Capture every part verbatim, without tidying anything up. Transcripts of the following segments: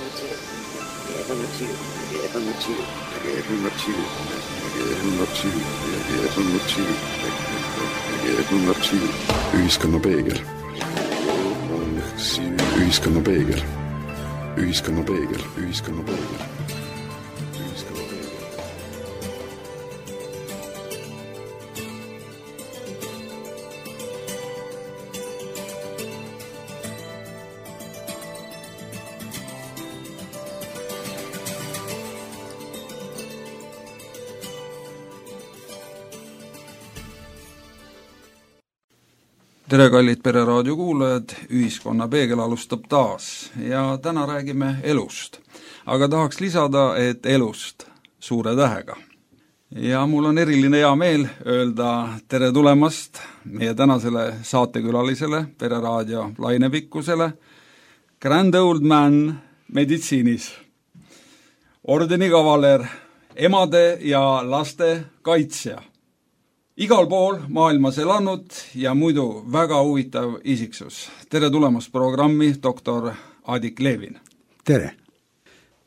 Ühiskonna peegel. Ühiskonna peegel. Ühiskonna peegel. Ühiskonna peegel. Tere, kallid Pereraadio kuulajad, Ühiskonna peegel alustab taas ja täna räägime elust. Aga tahaks lisada, et elust suure tähega. Ja mul on eriline hea meel öelda tere tulemast meie tänasele saatekülalisele, Pereraadio lainepikkusele, Grand Old Man meditsiinis, ordeni kavaler, emade ja laste kaitsja. Igal pool maailmas elanud ja muidu väga huvitav isiksus. Tere tulemast programmi doktor Adik Levin. Tere.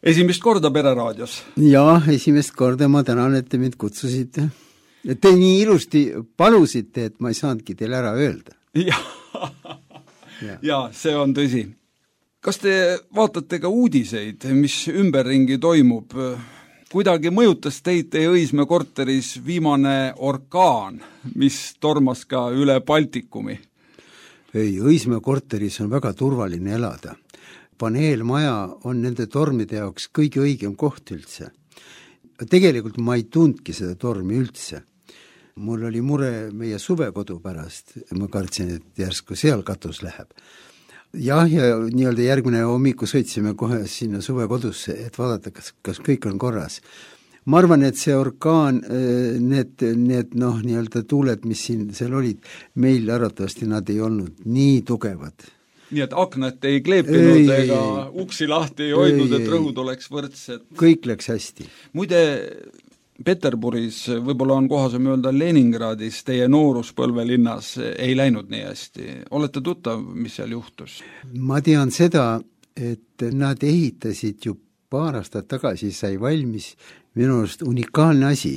Esimest korda Pereraadios. Jaa, esimest korda ma tänan, et te mind kutsusite. Te nii ilusti palusite, et ma ei saanudki teile ära öelda. Ja, ja. ja see on tõsi. Kas te vaatate ka uudiseid, mis ümberringi toimub? Kuidagi mõjutas teid teie Õismäe korteris viimane orkaan, mis tormas ka üle Baltikumi? Ei, Õismäe korteris on väga turvaline elada. Paneelmaja on nende tormide jaoks kõige õigem koht üldse. Tegelikult ma ei tundki seda tormi üldse. Mul oli mure meie suvekodu pärast. Ma kartsin, et järsku seal katus läheb. Jah, ja nii-öelda järgmine hommiku sõitsime kohe sinna suvekodusse, et vaadata, kas, kas kõik on korras. Ma arvan, et see orkaan, need, need noh, nii-öelda tuuled, mis siin seal olid, meil arvatavasti nad ei olnud nii tugevad. Nii et aknad ei kleepinud ei, ega ei, uksi lahti ei hoidnud, et rõhud oleks võrdsed. Kõik läks hästi. Muide, Peterburis, võib-olla on kohasem öelda Leningradis, teie nooruspõlvelinnas ei läinud nii hästi. Olete tuttav, mis seal juhtus? Ma tean seda, et nad ehitasid ju paar aastat tagasi, sai valmis minu arust unikaalne asi.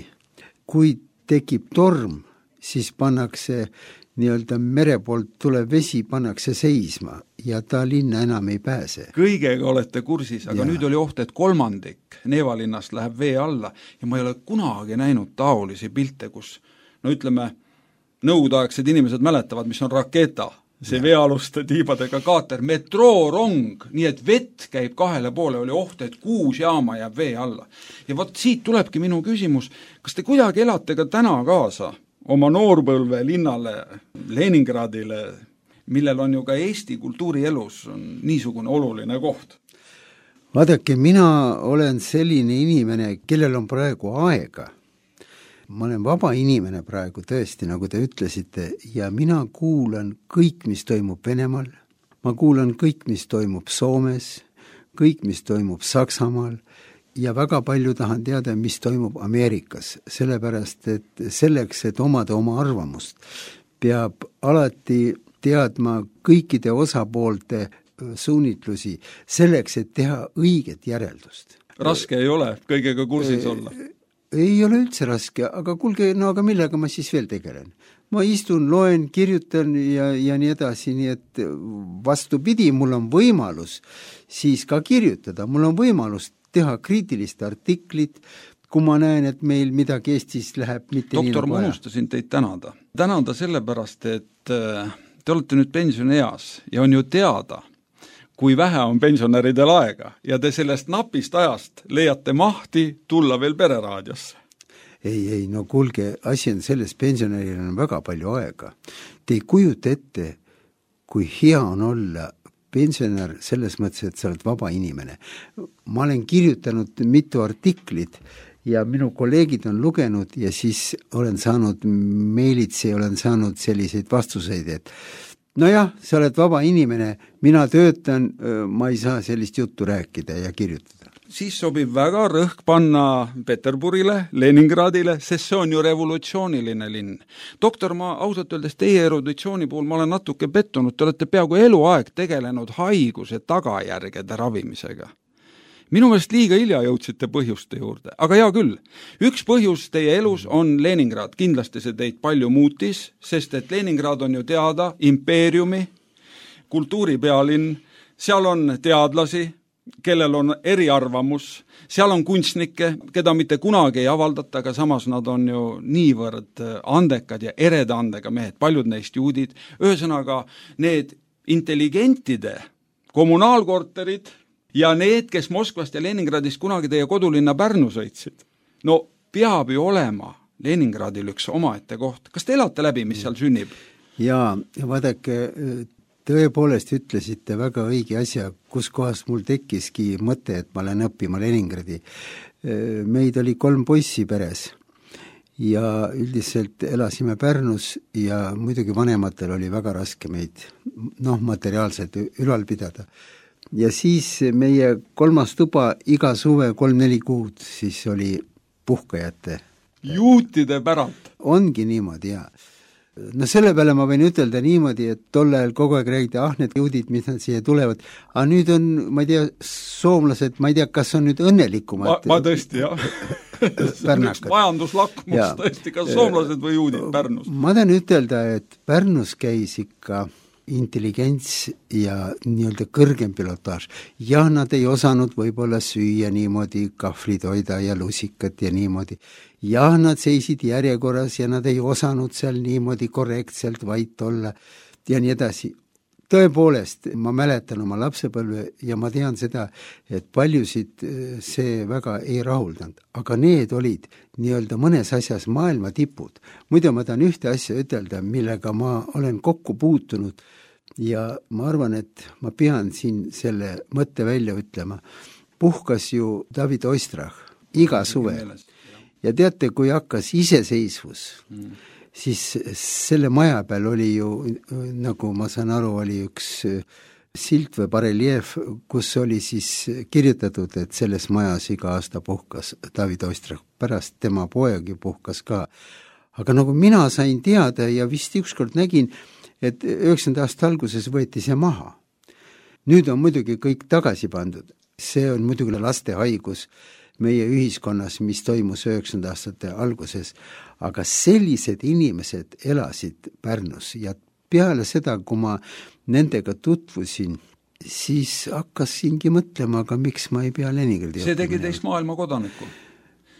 Kui tekib torm, siis pannakse nii-öelda mere poolt tuleb vesi, pannakse seisma ja ta linna enam ei pääse. Kõigega olete kursis, aga ja. Nüüd oli oht, et kolmandik Neevalinnast läheb vee alla ja ma ei ole kunagi näinud taolisi pilte, kus, no ütleme, nõukogudeaegsed inimesed mäletavad, mis on raketa, see ja. Veealuste tiibadega kaater, metroorong, nii et vett käib kahele poole, oli oht, et kuus jaama jääb vee alla. Ja vot siit tulebki minu küsimus, kas te kuidagi elate ka täna kaasa oma noorpõlve linnale, Leningradile, millel on ju ka Eesti kultuurielus on niisugune oluline koht? Vaadake, mina olen selline inimene, kellel on praegu aega. Ma olen vaba inimene praegu tõesti, nagu te ütlesite, ja mina kuulan kõik, mis toimub Venemaal, ma kuulan kõik, mis toimub Soomes, kõik, mis toimub Saksamaal, ja väga palju tahan teada, mis toimub Ameerikas, sellepärast, et selleks, et omada oma arvamust, peab alati teadma kõikide osapoolte suunitlusi, selleks, et teha õiget järeldust. Raske ei ole kõigega kursis olla? Ei ole üldse raske, aga kuulge, no aga millega ma siis veel tegelen? Ma istun, loen, kirjutan ja, ja nii edasi, nii et vastupidi, mul on võimalus siis ka kirjutada, mul on võimalus teha kriitilist artiklit, kui ma näen, et meil midagi Eestis läheb mitte Doktor, nii nagu ma unustasin teid tänada. Tänada sellepärast, et te olete nüüd pensionieas ja on ju teada, kui vähe on pensionäridel aega ja te sellest napist ajast leiate mahti tulla veel Pereraadiosse. Ei, ei, no kuulge, asi on selles, pensionäril on väga palju aega. Te ei kujuta ette, kui hea on olla pensionär selles mõttes, et sa oled vaba inimene. Ma olen kirjutanud mitu artiklit ja minu kolleegid on lugenud ja siis olen saanud meilitsi, olen saanud selliseid vastuseid, et nojah, sa oled vaba inimene, mina töötan, ma ei saa sellist juttu rääkida ja kirjutada. Siis sobib väga rõhk panna Peterburile, Leningradile, sest see on ju revolutsiooniline linn. Doktor, ma ausalt öeldes teie eruditsiooni puhul ma olen natuke pettunud, te olete peaaegu eluaeg tegelenud haiguse tagajärgede ravimisega. minu meelest liiga hilja jõudsite põhjuste juurde, aga hea küll. Üks põhjus teie elus on Leningrad, kindlasti see teid palju muutis, sest et Leningrad on ju teada impeeriumi, kultuuripealinn, seal on teadlasi, kellel on eriarvamus, seal on kunstnikke, keda mitte kunagi ei avaldata, aga samas nad on ju niivõrd andekad ja ereda andega mehed, paljud neist juudid, ühesõnaga need intelligentide kommunaalkorterid ja need, kes Moskvast ja Leningradist kunagi teie kodulinna Pärnu sõitsid. No peab ju olema Leningradil üks omaette koht. Kas te elate läbi, mis seal sünnib? Jaa, vaadake, tõepoolest ütlesite väga õige asja, kus kohast mul tekkiski mõte, et ma lähen õppima Leningradi. Meid oli kolm poissi peres ja üldiselt elasime Pärnus ja muidugi vanematel oli väga raske meid noh, materiaalselt ülal pidada. Ja siis meie kolmas tuba iga suve kolm-neli kuud siis oli puhkajate. Juutide päralt. Ongi niimoodi, jaa. No selle peale ma võin ütelda niimoodi, et tol ajal kogu aeg räägiti, ah, need juudid, mis nad siia tulevad, aga nüüd on, ma ei tea, soomlased, ma ei tea, kas on nüüd õnnelikumad. Ma, ma tõesti, jah. see on üks majanduslakmus ja. Tõesti, kas soomlased või juudid Pärnus? Ma tahan ütelda, et Pärnus käis ikka intelligents ja nii-öelda kõrgem pilotaaž. Ja nad ei osanud võib-olla süüa niimoodi kahvlitoida ja lusikat ja niimoodi. Ja nad seisid järjekorras ja nad ei osanud seal niimoodi korrektselt vait olla ja nii edasi. Tõepoolest, ma mäletan oma lapsepõlve ja ma tean seda, et paljusid see väga ei rahuldanud, aga need olid nii-öelda mõnes asjas maailma tipud. Muidu ma tahan ühte asja ütelda, millega ma olen kokku puutunud ja ma arvan, et ma pean siin selle mõtte välja ütlema. Puhkas ju David Oistrach iga suve ja teate, kui hakkas iseseisvus, mm. siis selle maja peal oli ju, nagu ma saan aru, oli üks silt või bareljeef, kus oli siis kirjutatud, et selles majas iga aasta puhkas David Oistrach, pärast tema poeg ju puhkas ka. Aga nagu mina sain teada ja vist ükskord nägin, et üheksakümnenda aasta alguses võeti see maha. Nüüd on muidugi kõik tagasi pandud. See on muidugi laste haigus meie ühiskonnas, mis toimus üheksakümnenda aastate alguses, aga sellised inimesed elasid Pärnus ja peale seda, kui ma nendega tutvusin, siis hakkasingi mõtlema, aga miks ma ei pea Leningradi see tegi teist maailma kodanikku?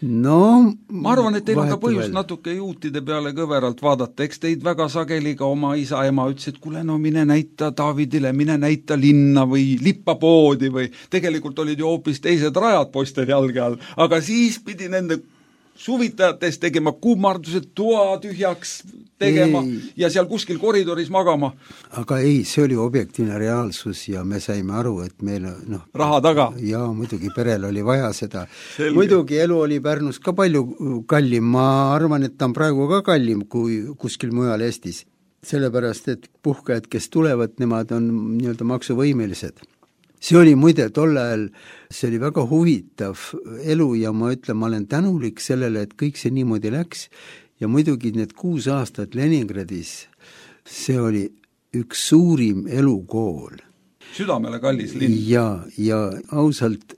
No, ma arvan, et teil on ka põhjust veel natuke juutide peale kõveralt vaadata, eks teid väga sageli ka oma isa ema ütles, et kuule, no mine näita Davidile, mine näita linna või lippapoodi või tegelikult olid ju hoopis teised rajad poistel jalge all, aga siis pidi nende suvitajates tegema kummardused, toa tühjaks tegema ei. Ja seal kuskil koridoris magama. Aga ei, see oli objektiivne reaalsus ja me saime aru, et meil noh, raha taga. Ja muidugi perel oli vaja seda. Selge. Muidugi elu oli Pärnus ka palju kallim, ma arvan, et ta on praegu ka kallim kui kuskil mujal Eestis. Sellepärast, et puhkajad, kes tulevad, nemad on nii-öelda maksuvõimelised. See oli muide tol ajal, see oli väga huvitav elu ja ma ütlen, ma olen tänulik sellele, et kõik see niimoodi läks ja muidugi need kuus aastat Leningradis, see oli üks suurim elukool. Südamele kallis linn. Ja, ja ausalt,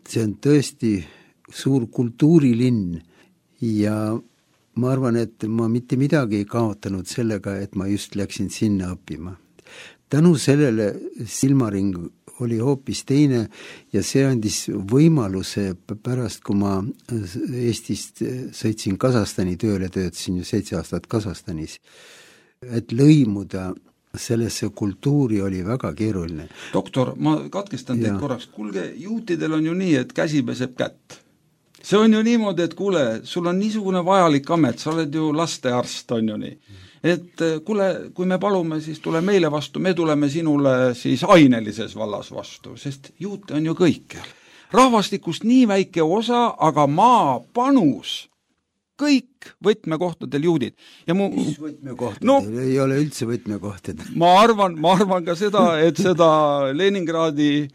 see on tõesti suur kultuurilinn ja ma arvan, et ma mitte midagi ei kaotanud sellega, et ma just läksin sinna õppima. Tänu sellele silmaring oli hoopis teine ja see andis võimaluse pärast, kui ma Eestist sõitsin Kasahstani tööle, töötasin ju seitse aastat Kasahstanis, et lõimuda sellesse kultuuri oli väga keeruline. Doktor, ma katkestan teid korraks. Kuulge, juutidel on ju nii, et käsi peseb kätt. See on ju niimoodi, et kuule, sul on niisugune vajalik amet, sa oled ju lastearst, on ju nii. Et kuule, kui me palume, siis tule meile vastu, me tuleme sinule siis ainelises vallas vastu, sest juute on ju kõikjal. Rahvastikust nii väike osa, aga maa panus, kõik võtmekohtadel juudid. Ja mu, mis võtmekohtadel? No, ei ole üldse võtmekohtadel. Ma arvan, ma arvan ka seda, et seda Leningradi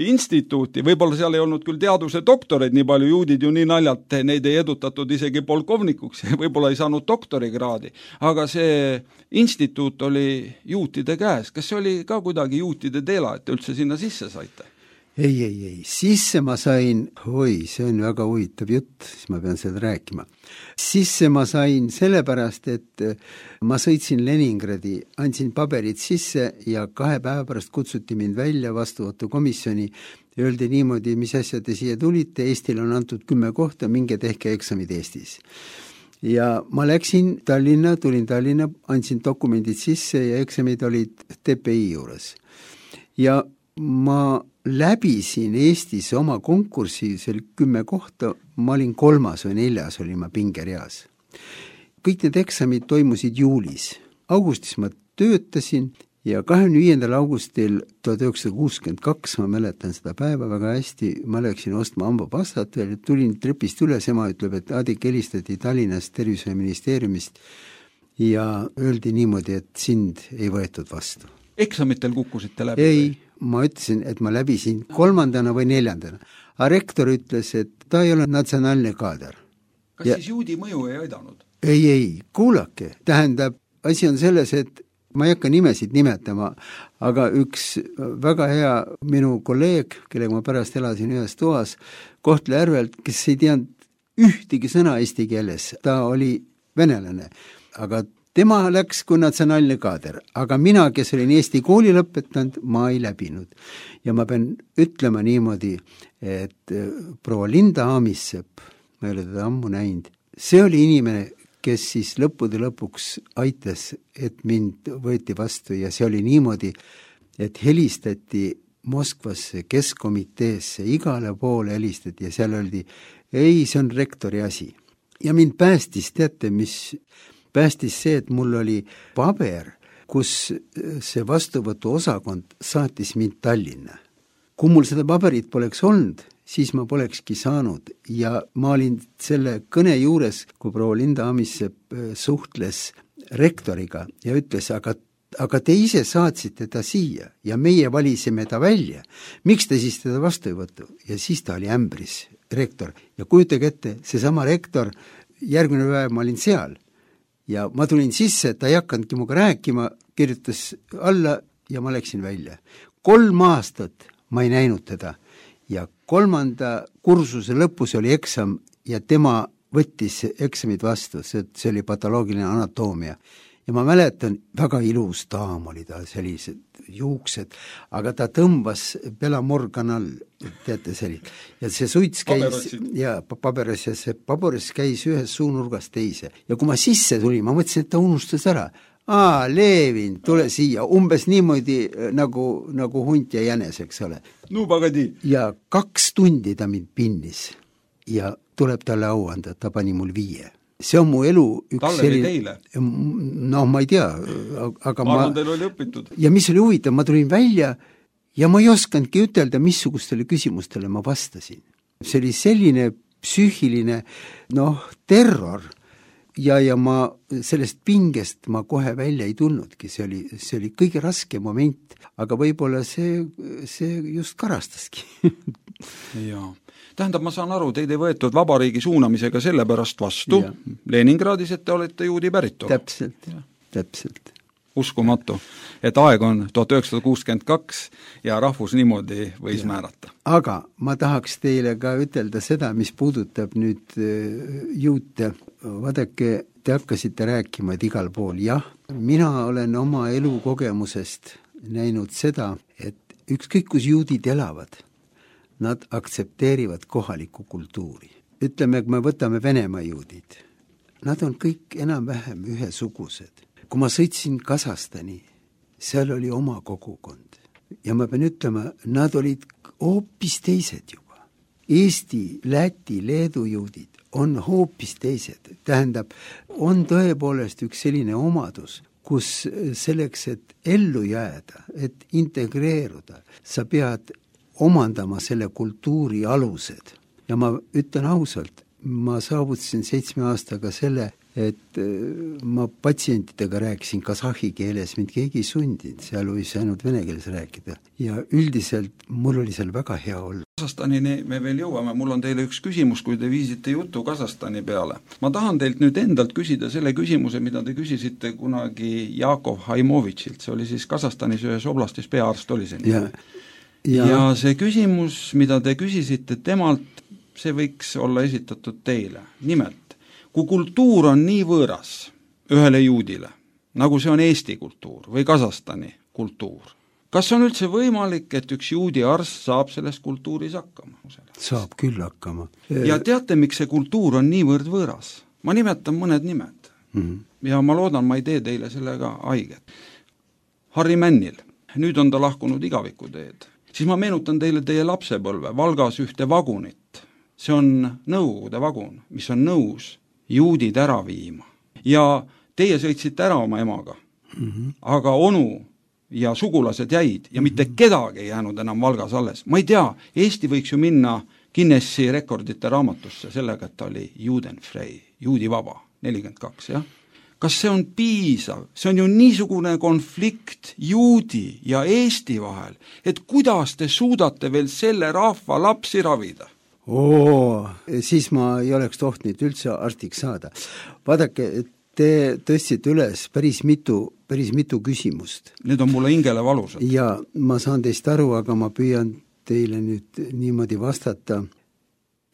instituuti, võib-olla seal ei olnud küll teaduse doktoreid, nii palju juudid ju nii naljalt, neid ei edutatud isegi polkovnikuks, võib-olla ei saanud doktorikraadi, aga see instituut oli juutide käes. Kas see oli ka kuidagi juutide teela, et üldse sinna sisse saite? ei, ei, ei, sisse ma sain, oi, see on väga huvitav jutt, siis ma pean seda rääkima. Sisse ma sain sellepärast, et ma sõitsin Leningradi, andsin paberid sisse ja kahe päeva pärast kutsuti mind välja vastuvõtukomisjoni ja öeldi niimoodi, mis asja te siia tulite, Eestil on antud kümme kohta, minge tehke eksamid Eestis. Ja ma läksin Tallinna, tulin Tallinna, andsin dokumendid sisse ja eksamid olid T P I juures. Ja ma läbisin Eestis oma konkursi, see oli kümme kohta, ma olin kolmas või neljas, olin ma pingereas. Kõik need eksamid toimusid juulis. Augustis ma töötasin ja kahekümne viiendal augustil tuhat üheksasada kuuskümmend kaks, ma mäletan seda päeva väga hästi, ma läksin ostma hambapastat veel, tulin trepist üles, ema ütleb, et Adik helistati Tallinnast tervishoiuministeeriumist ja öeldi niimoodi, et sind ei võetud vastu. Eksamitel kukkusite läbi? Ei, ma ütlesin, et ma läbisin kolmandana või neljandana. A rektor ütles, et ta ei ole natsionaalne kaader. Kas ja... siis juudi mõju ei aidanud? Ei, ei, kuulake. Tähendab, asi on selles, et ma ei hakka nimesid nimetama, aga üks väga hea minu kolleeg, kellega ma pärast elasin ühes toas, Kohtla-Järvelt, kes ei teadnud ühtegi sõna eesti keeles, ta oli venelane, aga tema läks kui natsionaalne kaader, aga mina, kes olin Eesti kooli lõpetanud, ma ei läbinud. Ja ma pean ütlema niimoodi, et proua Linda Aamissepp, ma ei ole teda ammu näinud, see oli inimene, kes siis lõppude lõpuks aitas, et mind võeti vastu ja see oli niimoodi, et helistati Moskvasse keskkomiteesse, igale poole helistati ja seal öeldi, ei, see on rektori asi. Ja mind päästis, teate, mis... päästis see, et mul oli paber, kus see vastuvõtu osakond saatis mind Tallinna. Kui mul seda paberit poleks olnud, siis ma polekski saanud ja ma olin selle kõne juures, kui proua Linda Aamissepp suhtles rektoriga ja ütles, aga, aga te ise saatsite ta siia ja meie valisime ta välja. Miks te siis teda vastu ei võttu? Ja siis ta oli ämbris, rektor. Ja kujutage ette, seesama rektor, järgmine päev ma olin seal. Ja ma tulin sisse, et ta ei hakkanudki muga rääkima, kirjutas alla ja ma läksin välja. Kolm aastat ma ei näinud teda ja kolmanda kursuse lõpus oli eksam ja tema võttis eksamid vastu, see, see oli patoloogiline anatoomia. Ja ma mäletan, väga ilus daam oli ta, sellised juuksed, aga ta tõmbas Belamorganal, teate selline. Ja see suits käis, ja paberes, ja see paberes käis ühes suunurgast teise. Ja kui ma sisse tulin, ma mõtlesin, et ta unustas ära. Aa, Levin, tule siia, umbes niimoodi nagu, nagu hunt ja jänes, eks ole. No pagadi. Ja kaks tundi ta mind pinnis ja tuleb talle au anda, ta pani mul viie. See on mu elu üks Talle selline... teile? No ma ei tea, aga ma... Arvan, teil oli õpitud. Ja mis oli huvitav, ma tulin välja ja ma ei oskandki ütelda, missugustele küsimustele ma vastasin. See oli selline psüühiline, noh, terror ja, ja ma sellest pingest ma kohe välja ei tulnudki. See oli, see oli kõige raske moment, aga võib-olla see, see just karastaski. Jaa. Tähendab, ma saan aru, teid ei võetud vabariigi suunamisega sellepärast vastu ja. Leningradis, et te olete juudi päritolu. Täpselt, ja. täpselt. Uskumatu, et aeg on tuhat üheksasada kuuskümmend kaks ja rahvus niimoodi võis ja. Määrata. Aga ma tahaks teile ka ütelda seda, mis puudutab nüüd juute. Vaadake, te hakkasite rääkima, et igal pool. Jah, mina olen oma elukogemusest näinud seda, et ükskõik kus juudid elavad, nad aktsepteerivad kohalikku kultuuri. Ütleme, kui me võtame Venemaa juudid, nad on kõik enam-vähem ühesugused. Kui ma sõitsin Kasahstani, seal oli oma kogukond. Ja ma pean ütlema, nad olid hoopis teised juba. Eesti, Läti, Leedu juudid on hoopis teised. Tähendab, on tõepoolest üks selline omadus, kus selleks, et ellu jääda, et integreeruda, sa pead omandama selle kultuuri alused. Ja ma ütlen ausalt, ma saavutasin seitsme aastaga selle, et ma patsientidega rääkisin kasahhi keeles, mind keegi ei sundinud, seal võis ainult vene keeles rääkida. Ja üldiselt mul oli seal väga hea olla. Kasahstanini me veel jõuame, mul on teile üks küsimus, kui te viisite jutu Kasahstani peale. Ma tahan teilt nüüd endalt küsida selle küsimuse, mida te küsisite kunagi Jakov Haimovitšilt, see oli siis Kasahstanis ühes oblastis peaarst oli siin. Ja. ja. ja see küsimus, mida te küsisite temalt, see võiks olla esitatud teile. Nimelt, kui kultuur on nii võõras ühele juudile, nagu see on Eesti kultuur või Kasahstani kultuur, kas on üldse võimalik, et üks juudi arst saab selles kultuuris hakkama? Saab küll hakkama. Ja teate, miks see kultuur on niivõrd võõras? Ma nimetan mõned nimed mm-hmm. ja ma loodan, ma ei tee teile sellega haiget. Harri Männil, nüüd on ta lahkunud igavikuteed. Siis ma meenutan teile teie lapsepõlve, Valgas ühte vagunit. See on Nõukogude vagun, mis on nõus juudid ära viima. Ja teie sõitsite ära oma emaga, mm-hmm. aga onu ja sugulased jäid ja mitte kedagi ei jäänud enam Valgas alles. Ma ei tea, Eesti võiks ju minna Guinessi rekordite raamatusse sellega, et ta oli juudenfrei, juudivaba, nelikümmend kaks, jah? Kas see on piisav? See on ju niisugune konflikt juudi ja Eesti vahel, et kuidas te suudate veel selle rahva lapsi ravida? Oo, siis ma ei oleks tohtnud üldse arstiks saada. Vaadake, te tõstsite üles päris mitu, päris mitu küsimust. Need on mulle hingele valusad. Ja ma saan teist aru, aga ma püüan teile nüüd niimoodi vastata.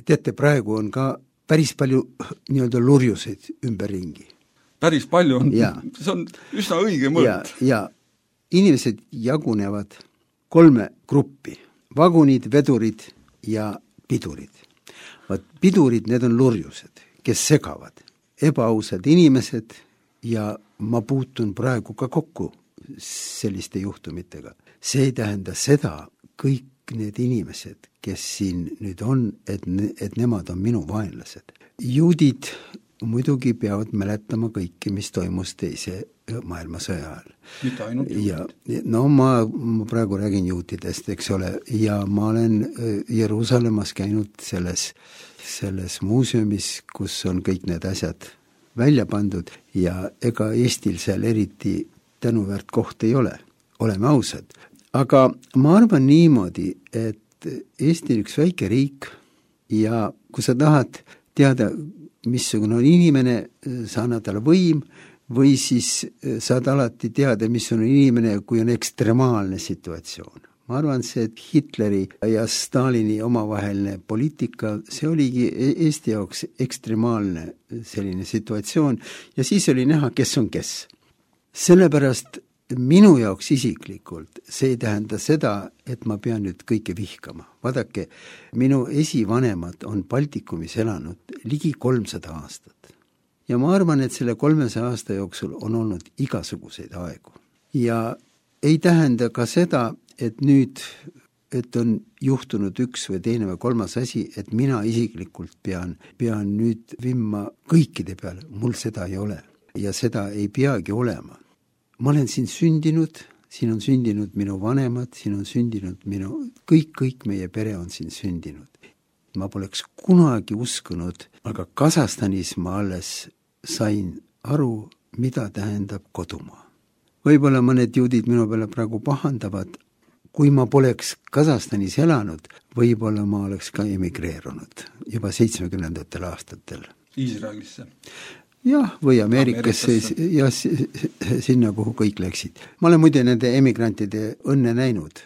Teate, praegu on ka päris palju nii-öelda lurjuseid ümberringi. Päris palju on, ja. See on üsna õige mõõt. Ja, ja inimesed jagunevad kolme gruppi. Vagunid, vedurid ja pidurid. Vaat pidurid, need on lurjused, kes segavad. Ebaausad inimesed ja ma puutun praegu ka kokku selliste juhtumitega. See ei tähenda seda, kõik need inimesed, kes siin nüüd on, et, ne, et nemad on minu vaenlased. Juudid muidugi peavad mäletama kõike, mis toimus teise maailmasõja ajal. Mitte ainult juudid? Ja, no ma, ma praegu räägin juutidest, eks ole, ja ma olen Jeruusalemmas käinud selles selles muuseumis, kus on kõik need asjad välja pandud ja ega Eestil seal eriti tänuväärt koht ei ole, oleme ausad. Aga ma arvan niimoodi, et Eesti on üks väike riik ja kui sa tahad teada, missugune on inimene, sa annad talle võim või siis saad alati teada, mis on inimene, kui on ekstremaalne situatsioon. Ma arvan, see, et Hitleri ja Stalini omavaheline poliitika, see oligi Eesti jaoks ekstremaalne selline situatsioon ja siis oli näha, kes on kes. Sellepärast minu jaoks isiklikult see ei tähenda seda, et ma pean nüüd kõike vihkama. Vaadake, minu esivanemad on Baltikumis elanud ligi kolmsada aastat. Ja ma arvan, et selle kolmesaja aasta jooksul on olnud igasuguseid aegu. Ja ei tähenda ka seda, et nüüd, et on juhtunud üks või teine või kolmas asi, et mina isiklikult pean, pean nüüd vimma kõikide peale. Mul seda ei ole ja seda ei peagi olema. Ma olen siin sündinud, siin on sündinud minu vanemad, siin on sündinud minu, kõik, kõik meie pere on siin sündinud. Ma poleks kunagi uskunud, aga Kasahstanis ma alles sain aru, mida tähendab kodumaa. Võib-olla mõned juudid minu peale praegu pahandavad, kui ma poleks Kasahstanis elanud, võib-olla ma oleks ka emigreerunud juba seitsmekümnendatel aastatel. Iisraelisse? Jah, või Ameerikasse ja sinna, kuhu kõik läksid. Ma olen muide nende emigrantide õnne näinud.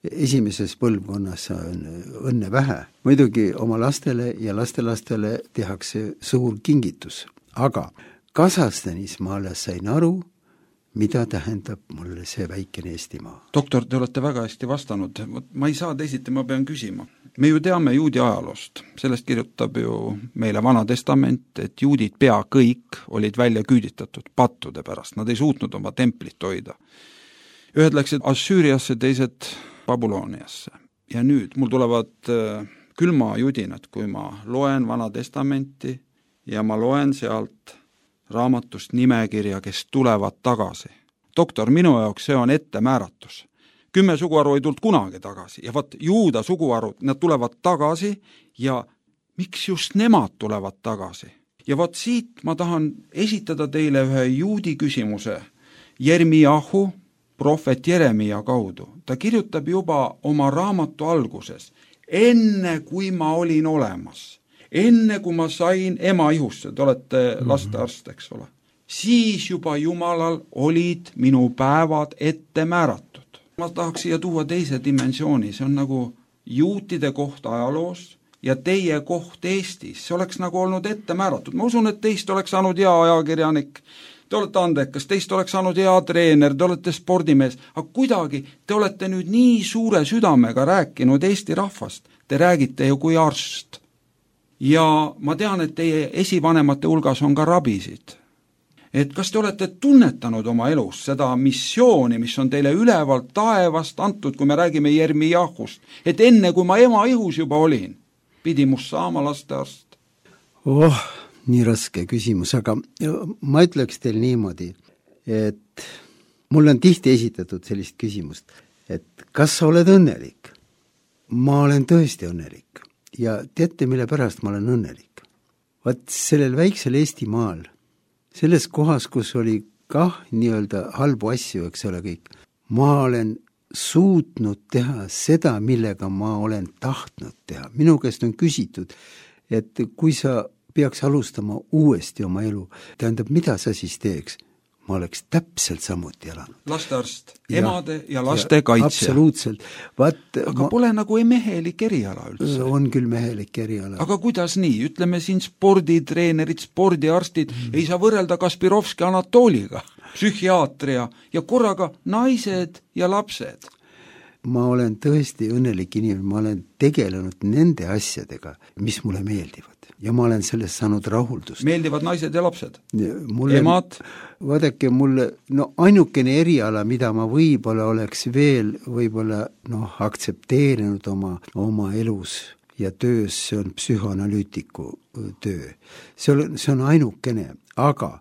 Esimeses põlvkonnas on õnne vähe. Muidugi oma lastele ja lastelastele tehakse suur kingitus. Aga Kasahstanis ma alles sain aru, mida tähendab mulle see väikene Eestimaa. Doktor, te olete väga hästi vastanud. Ma ei saa teisiti, ma pean küsima. Me ju teame juudi ajaloost. Sellest kirjutab ju meile Vana Testament, et juudid pea kõik olid välja küüditatud pattude pärast. Nad ei suutnud oma templit hoida. Ühed läksid Assüüriasse, teised Babyloniasse. Ja nüüd mul tulevad külma judinad, kui ma loen Vana Testamenti ja ma loen sealt raamatust nimekirja, kes tulevad tagasi. Doktor, minu jaoks see on ettemääratus. Kümme suguharu ei tulnud kunagi tagasi ja vaat juuda suguharud, nad tulevad tagasi ja miks just nemad tulevad tagasi? Ja vaat siit ma tahan esitada teile ühe juudi küsimuse Jeremiahu, prohvet Jeremia kaudu. Ta kirjutab juba oma raamatu alguses, enne kui ma olin olemas. Enne kui ma sain ema ihusse, te olete lastearst, eks ole, siis juba Jumalal olid minu päevad ette määratud. ma tahaks siia tuua teise dimensiooni, see on nagu juutide koht ajaloos ja teie koht Eestis, see oleks nagu olnud ette määratud. Ma usun, et teist oleks saanud hea ajakirjanik, te olete andekas, teist oleks saanud hea treener, te olete spordimees, aga kuidagi te olete nüüd nii suure südamega rääkinud Eesti rahvast, te räägite ju kui arst. Ja ma tean, et teie esivanemate hulgas on ka rabisid. Et kas te olete tunnetanud oma elus seda missiooni, mis on teile ülevalt taevast antud, kui me räägime Jermijahust, et enne kui ma ema ihus juba olin, pidi must saama lastearst? Oh, nii raske küsimus, aga ma ütleks teil niimoodi, et mul on tihti esitatud sellist küsimust, et kas sa oled õnnelik? Ma olen tõesti õnnelik ja teate, mille pärast ma olen õnnelik? Vaat sellel väiksel Eestimaal, selles kohas, kus oli kah nii-öelda halbu asju, eks ole kõik, ma olen suutnud teha seda, millega ma olen tahtnud teha. Minu käest on küsitud, et kui sa peaks alustama uuesti oma elu, tähendab, mida sa siis teeks? Ma oleks täpselt samuti elanud. Lastearst, emade ja, ja laste ja, kaitsja. Absoluutselt. Vaat, aga ma, pole nagu ei mehelik eriala üldse. On küll mehelik eriala. Aga kuidas nii? Ütleme siin sporditreenerid, spordiarstid, mm. ei saa võrrelda Kaspirovski Anatoliga, psühhiaatria ja korraga naised ja lapsed. Ma olen tõesti õnnelik inimene, ma olen tegelenud nende asjadega, mis mulle meeldivad. Ja ma olen sellest saanud rahuldust. Meeldivad naised ja lapsed? Mulle, emad? Vaadake, mulle, no ainukene eriala, mida ma võib-olla oleks veel võib-olla noh, aktsepteerinud oma, oma elus ja töös, see on psühhoanalüütiku töö. See on, see on ainukene, aga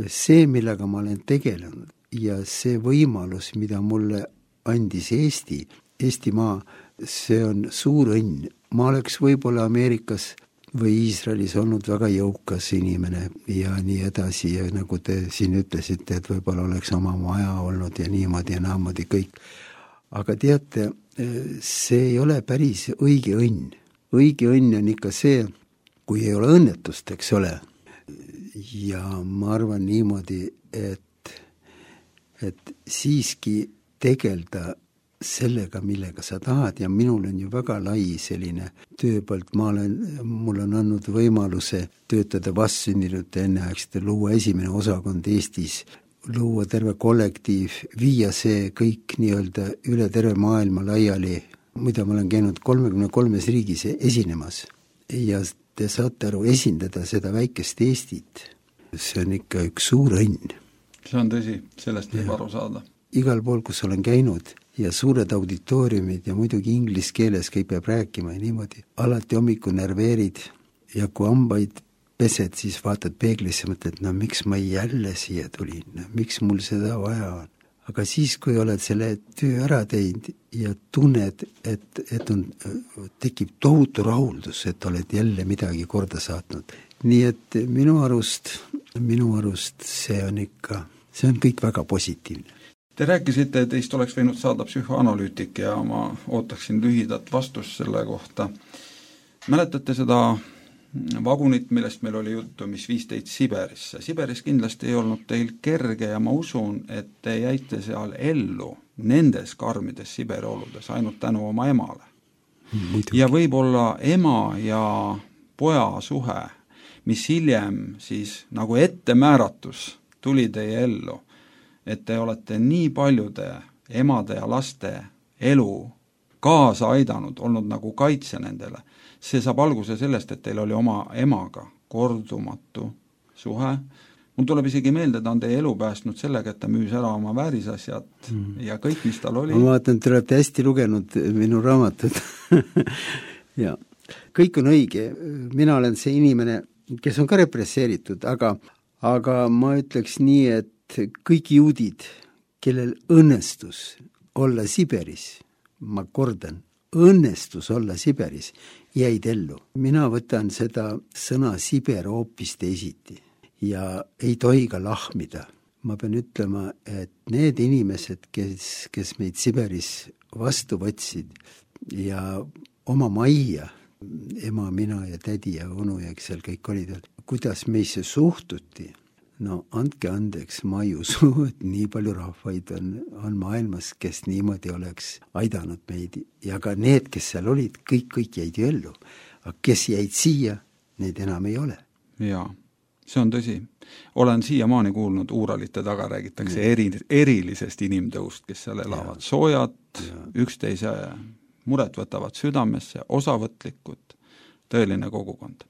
see, millega ma olen tegelenud ja see võimalus, mida mulle andis Eesti, Eestimaa, see on suur õnn. Ma oleks võib-olla Ameerikas või Iisraelis olnud väga jõukas inimene ja nii edasi ja nagu te siin ütlesite, et võib-olla oleks oma maja olnud ja niimoodi ja naamodi kõik. Aga teate, see ei ole päris õige õnn. Õige õnn on ikka see, kui ei ole õnnetust, eks ole. Ja ma arvan niimoodi, et, et siiski tegelda sellega, millega sa tahad ja minul on ju väga lai selline tööpõld, ma olen, mul on andnud võimaluse töötada vastsündinute enneaegsete, luua esimene osakond Eestis, luua terve kollektiiv, viia see kõik nii-öelda üle terve maailma laiali, mida ma olen käinud kolmekümne kolmes riigis esinemas ja te saate aru, esindada seda väikest Eestit, see on ikka üks suur õnn. See on tõsi, sellest võib aru saada. Igal pool, kus olen käinud ja suured auditooriumid ja muidugi inglis keeles kõik peab rääkima ja niimoodi. Alati hommiku närveerid ja kui hambaid pesed, siis vaatad peeglisse, mõtled, no miks ma jälle siia tulin, no, miks mul seda vaja on. Aga siis, kui oled selle töö ära teinud ja tunned, et, et on, tekib tohutu rahuldus, et oled jälle midagi korda saatnud. Nii et minu arust, minu arust see on ikka, see on kõik väga positiivne. Te rääkisite, et teist oleks võinud saada psühhoanalüütik ja ma ootaksin lühidat vastust selle kohta. Mäletate seda vagunit, millest meil oli juttu, mis viis teid Siberisse? Siberis kindlasti ei olnud teil kerge ja ma usun, et te jäite seal ellu nendes karmides Siberi oludes ainult tänu oma emale. Muidugi. Ja võib-olla ema ja poja suhe, mis hiljem siis nagu ettemääratus tuli teie ellu, et te olete nii paljude emade ja laste elu kaasa aidanud, olnud nagu kaitse nendele. See saab alguse sellest, et teil oli oma emaga kordumatu suhe. Mul tuleb isegi meelde, ta on teie elu päästnud sellega, et ta müüs ära oma väärisasjad mm. ja kõik, mis tal oli. Ma vaatan, te olete hästi lugenud minu raamatut. ja kõik on õige. Mina olen see inimene, kes on ka represseeritud, aga, aga ma ütleks nii, et kõik juudid, kellel õnnestus olla Siberis, ma kordan, õnnestus olla Siberis, jäid ellu. Mina võtan seda sõna Siber hoopis teisiti ja ei tohi ka lahmida. Ma pean ütlema, et need inimesed, kes, kes meid Siberis vastu võtsid ja oma majja, ema, mina ja tädi ja onu ja kes seal kõik olid, kuidas meisse suhtuti, no andke andeks, ma ei usu, et nii palju rahvaid on, on maailmas, kes niimoodi oleks aidanud meid ja ka need, kes seal olid, kõik, kõik jäid ju ellu. Aga kes jäid siia, neid enam ei ole. Jaa, see on tõsi. Olen siiamaani kuulnud, Uuralite taga räägitakse eri, erilisest inimtõust, kes seal elavad. Ja. Soojad, ja. Üksteise muret võtavad südamesse, osavõtlikud, tõeline kogukond.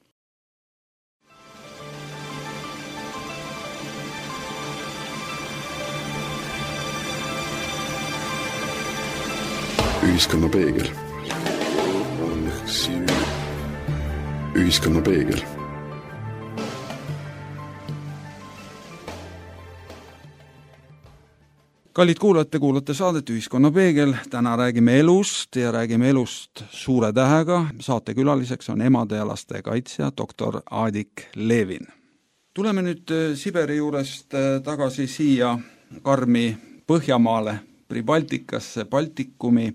Ühiskonna peegel. Ühiskonna peegel. Kallid kuulajad, te kuulate saadet Ühiskonna peegel. Täna räägime elust ja räägime elust suure tähega. Saate külaliseks on emade ja laste kaitsja doktor Aadik Levin. Tuleme nüüd Siberi juurest tagasi siia karmi Põhjamaale, Pribaltikasse, Baltikumi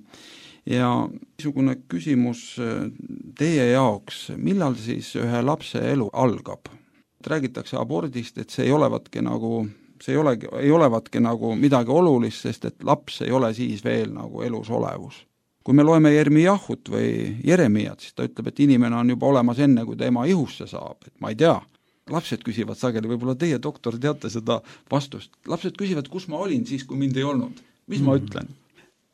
ja niisugune küsimus teie jaoks, millal siis ühe lapse elu algab? Räägitakse abordist, et see ei olevatki nagu, see ei, ole, ei olevatki nagu midagi olulist, sest et laps ei ole siis veel nagu elus olevus. Kui me loeme Jeremiahut või Jeremiat, siis ta ütleb, et inimene on juba olemas enne, kui ta ema ihusse saab, et ma ei tea. Lapsed küsivad sageli, võib-olla teie doktor teate seda vastust. Lapsed küsivad, kus ma olin siis, kui mind ei olnud. Mis ma ütlen?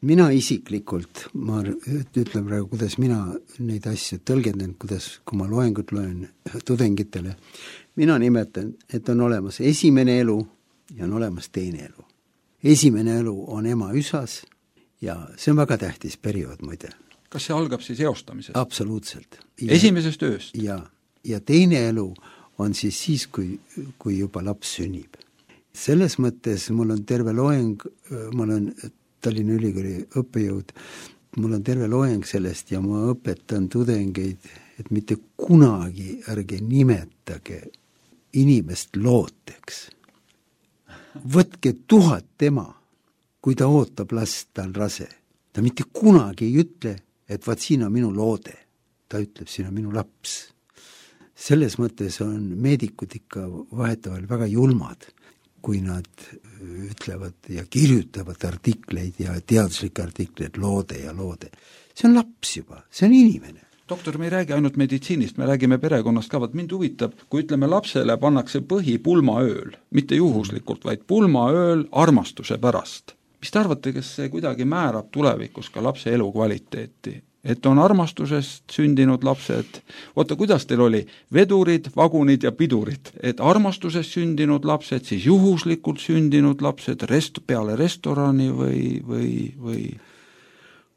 Mina isiklikult, ma ütlen praegu, kuidas mina neid asju tõlgendan, kuidas, kui ma loengut loen tudengitele, mina nimetan, et on olemas esimene elu ja on olemas teine elu. Esimene elu on ema üsas ja see on väga tähtis periood, muide. Kas see algab siis eostamisest? Absoluutselt. Ja, esimesest ööst? Ja, ja teine elu on siis siis, kui, kui juba laps sünnib. Selles mõttes mul on terve loeng, mul on Tallinna Ülikooli õppejõud, mul on terve loeng sellest ja ma õpetan tudengeid, et mitte kunagi ärge nimetage inimest looteks. Võtke tuhat tema, kui ta ootab last, ta on rase. Ta mitte kunagi ei ütle, et vaat siin on minu loode. Ta ütleb, siin on minu laps. Selles mõttes on meedikud ikka vahetavalt väga julmad, kui nad ütlevad ja kirjutavad artikleid ja teaduslikke artikleid, loode ja loode. See on laps juba, see on inimene. Doktor, me ei räägi ainult meditsiinist, me räägime perekonnast ka, vaat mind huvitab, kui ütleme lapsele pannakse põhi pulmaööl, mitte juhuslikult, vaid pulmaööl armastuse pärast. Mis te arvate, kes see kuidagi määrab tulevikus ka lapse elu kvaliteeti? Et on armastusest sündinud lapsed, oota, kuidas teil oli? Vedurid, vagunid ja pidurid. Et armastusest sündinud lapsed, siis juhuslikult sündinud lapsed rest, peale restorani või, või, või?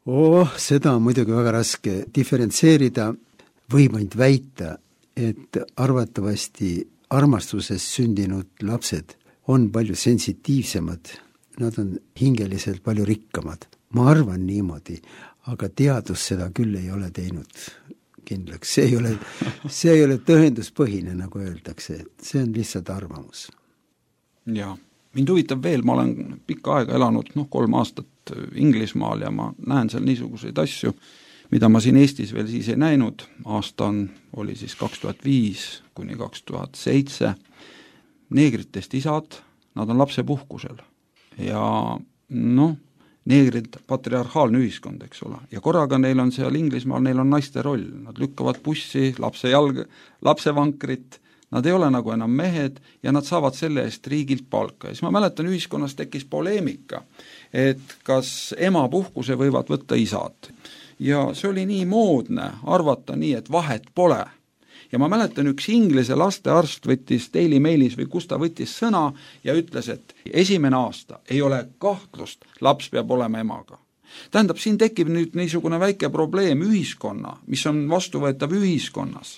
Oh, seda on muidugi väga raske diferentseerida. Võib ainult väita, et arvatavasti armastusest sündinud lapsed on palju sensitiivsemad. Nad on hingeliselt palju rikkamad. Ma arvan niimoodi, aga teadus seda küll ei ole teinud kindlaks. See ei ole, see ei ole tõenduspõhine, nagu öeldakse. See on lihtsalt arvamus. Jaa. Mind huvitab veel, ma olen pikka aega elanud, noh, kolm aastat Inglismaal ja ma näen seal niisuguseid asju, mida ma siin Eestis veel siis ei näinud. Aasta on, oli siis kaks tuhat viis kuni kaks tuhat seitse. Neegritest isad, nad on lapse puhkusel. Ja noh, neegrid, patriarhaalne ühiskond, eks ole. Ja korraga neil on seal Inglismaal, neil on naiste roll. Nad lükkavad bussi, lapse jalg, lapsevankrit, nad ei ole nagu enam mehed ja nad saavad selle eest riigilt palka. Ja siis ma mäletan, ühiskonnas tekkis poleemika, et kas ema puhkuse võivad võtta isad. Ja see oli nii moodne arvata nii, et vahet pole. Ja ma mäletan, üks Inglise lastearst võttis Daily Mailis või kus ta võttis sõna ja ütles, et esimene aasta ei ole kahtlust, laps peab olema emaga. Tähendab, siin tekib nüüd niisugune väike probleem ühiskonna, mis on vastuvõetav ühiskonnas.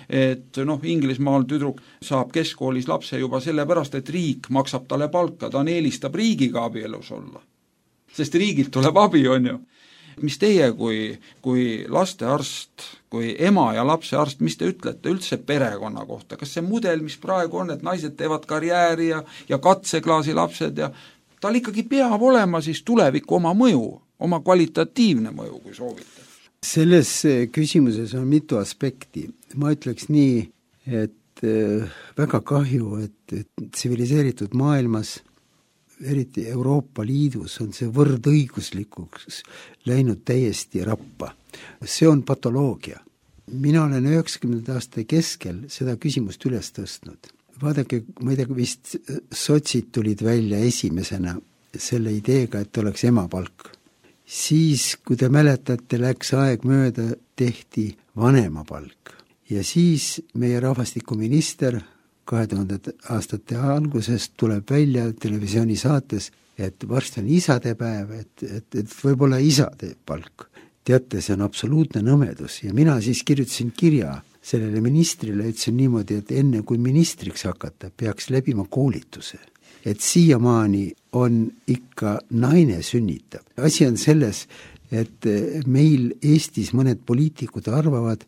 Et noh, Inglismaal tüdruk saab keskkoolis lapse juba sellepärast, et riik maksab talle palka, ta eelistab riigiga abielus olla. Sest riigilt tuleb abi, on ju. Mis teie kui, kui lastearst, kui ema ja lapse arst, mis te ütlete üldse perekonna kohta? Kas see mudel, mis praegu on, et naised teevad karjääri ja, ja katseklaasi lapsed ja tal ikkagi peab olema siis tuleviku oma mõju, oma kvalitatiivne mõju, kui soovite? Selles küsimuses on mitu aspekti. Ma ütleks nii, et et väga kahju, et, et tsiviliseeritud maailmas, eriti Euroopa Liidus, on see võrdõiguslikuks läinud täiesti rappa. See on patoloogia. Mina olen üheksakümnendate aasta keskel seda küsimust üles tõstnud. Vaadake, ma ei tea, vist sotsid tulid välja esimesena selle ideega, et oleks emapalk. Siis, kui te mäletate, läks aeg mööda, tehti vanemapalk. Ja siis meie rahvastikuminister kahe tuhande aastate algusest tuleb välja televisiooni saates, et varsti on isadepäev, et, et, et võib-olla isade palk. Teate, see on absoluutne nõmedus ja mina siis kirjutasin kirja sellele ministrile, ütlesin niimoodi, et enne kui ministriks hakata, peaks läbima koolituse. Et siiamaani on ikka naine sünnitab. Asi on selles, et meil Eestis mõned poliitikud arvavad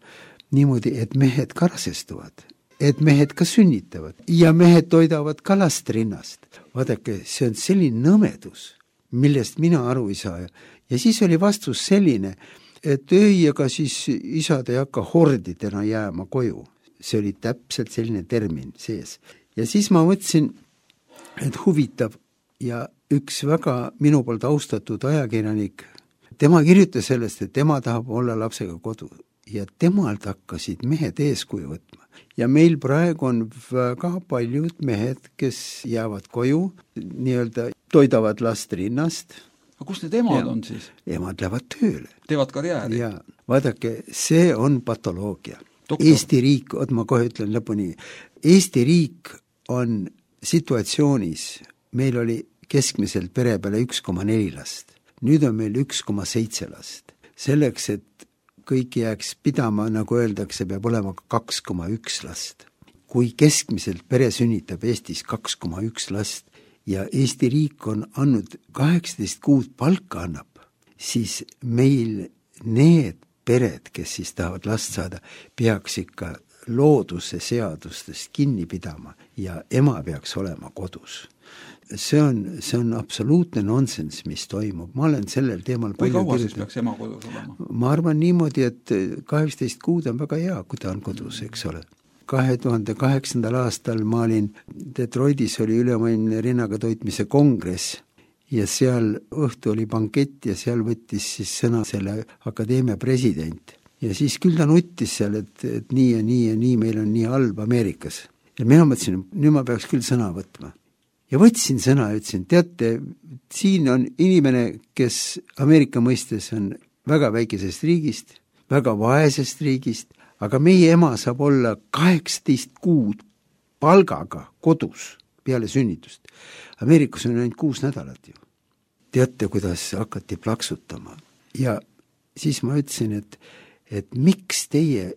niimoodi, et mehed karasestuvad, et mehed ka sünnitavad ja mehed toidavad ka last rinnast. Vaadake, see on selline nõmedus, millest mina aru ei saa. Ja siis oli vastus selline, et ei, ega siis isad ei hakka hordidena jääma koju. See oli täpselt selline termin sees. Ja siis ma mõtlesin, et huvitav ja üks väga minu poolt austatud ajakirjanik, tema kirjutas sellest, et tema tahab olla lapsega kodu ja temalt hakkasid mehed eeskuju võtma. Ja meil praegu on väga paljud mehed, kes jäävad koju, nii-öelda toidavad last rinnast. Aga kus need emad ja, on siis? Emad lähevad tööle. Teevad karjääri? Ja, vaadake, see on patoloogia. Doktor. Eesti riik, oot ma kohe ütlen lõpuni, Eesti riik on situatsioonis, meil oli keskmiselt pere peale üks koma neli last. Nüüd on meil üks koma seitse last. Selleks, et kõik jääks pidama, nagu öeldakse, peab olema kaks koma üks last. Kui keskmiselt pere sünnitab Eestis kaks koma üks last ja Eesti riik on andnud kaheksateist kuud palka annab, siis meil need pered, kes siis tahavad last saada, peaks ikka looduse seadustest kinni pidama ja ema peaks olema kodus. See on, see on absoluutne nonsens, mis toimub. Ma olen sellel teemal kui kaua siis peaks ema kodus olema? Ma arvan niimoodi, et kaheksateist kuud on väga hea, kui ta on kodus, eks ole. kahe tuhande kaheksandal aastal ma olin Detroitis, oli ülemaailmne rinnaga toitmise kongress ja seal õhtu oli bankett ja seal võttis siis sõna selle akadeemia president. Ja siis küll ta nuttis seal, et, et nii ja nii ja nii meil on nii halb Ameerikas. Ja mina mõtlesin, nüüd ma peaks küll sõna võtma. Ja võtsin sõna ja ütlesin, teate, siin on inimene, kes Ameerika mõistes on väga väikesest riigist, väga vaesest riigist, aga meie ema saab olla kaheksateist kuud palgaga kodus peale sünnitust. Ameerikas on ainult kuus nädalat ju. Teate, kuidas hakati plaksutama. Ja siis ma ütlesin, et, et miks teie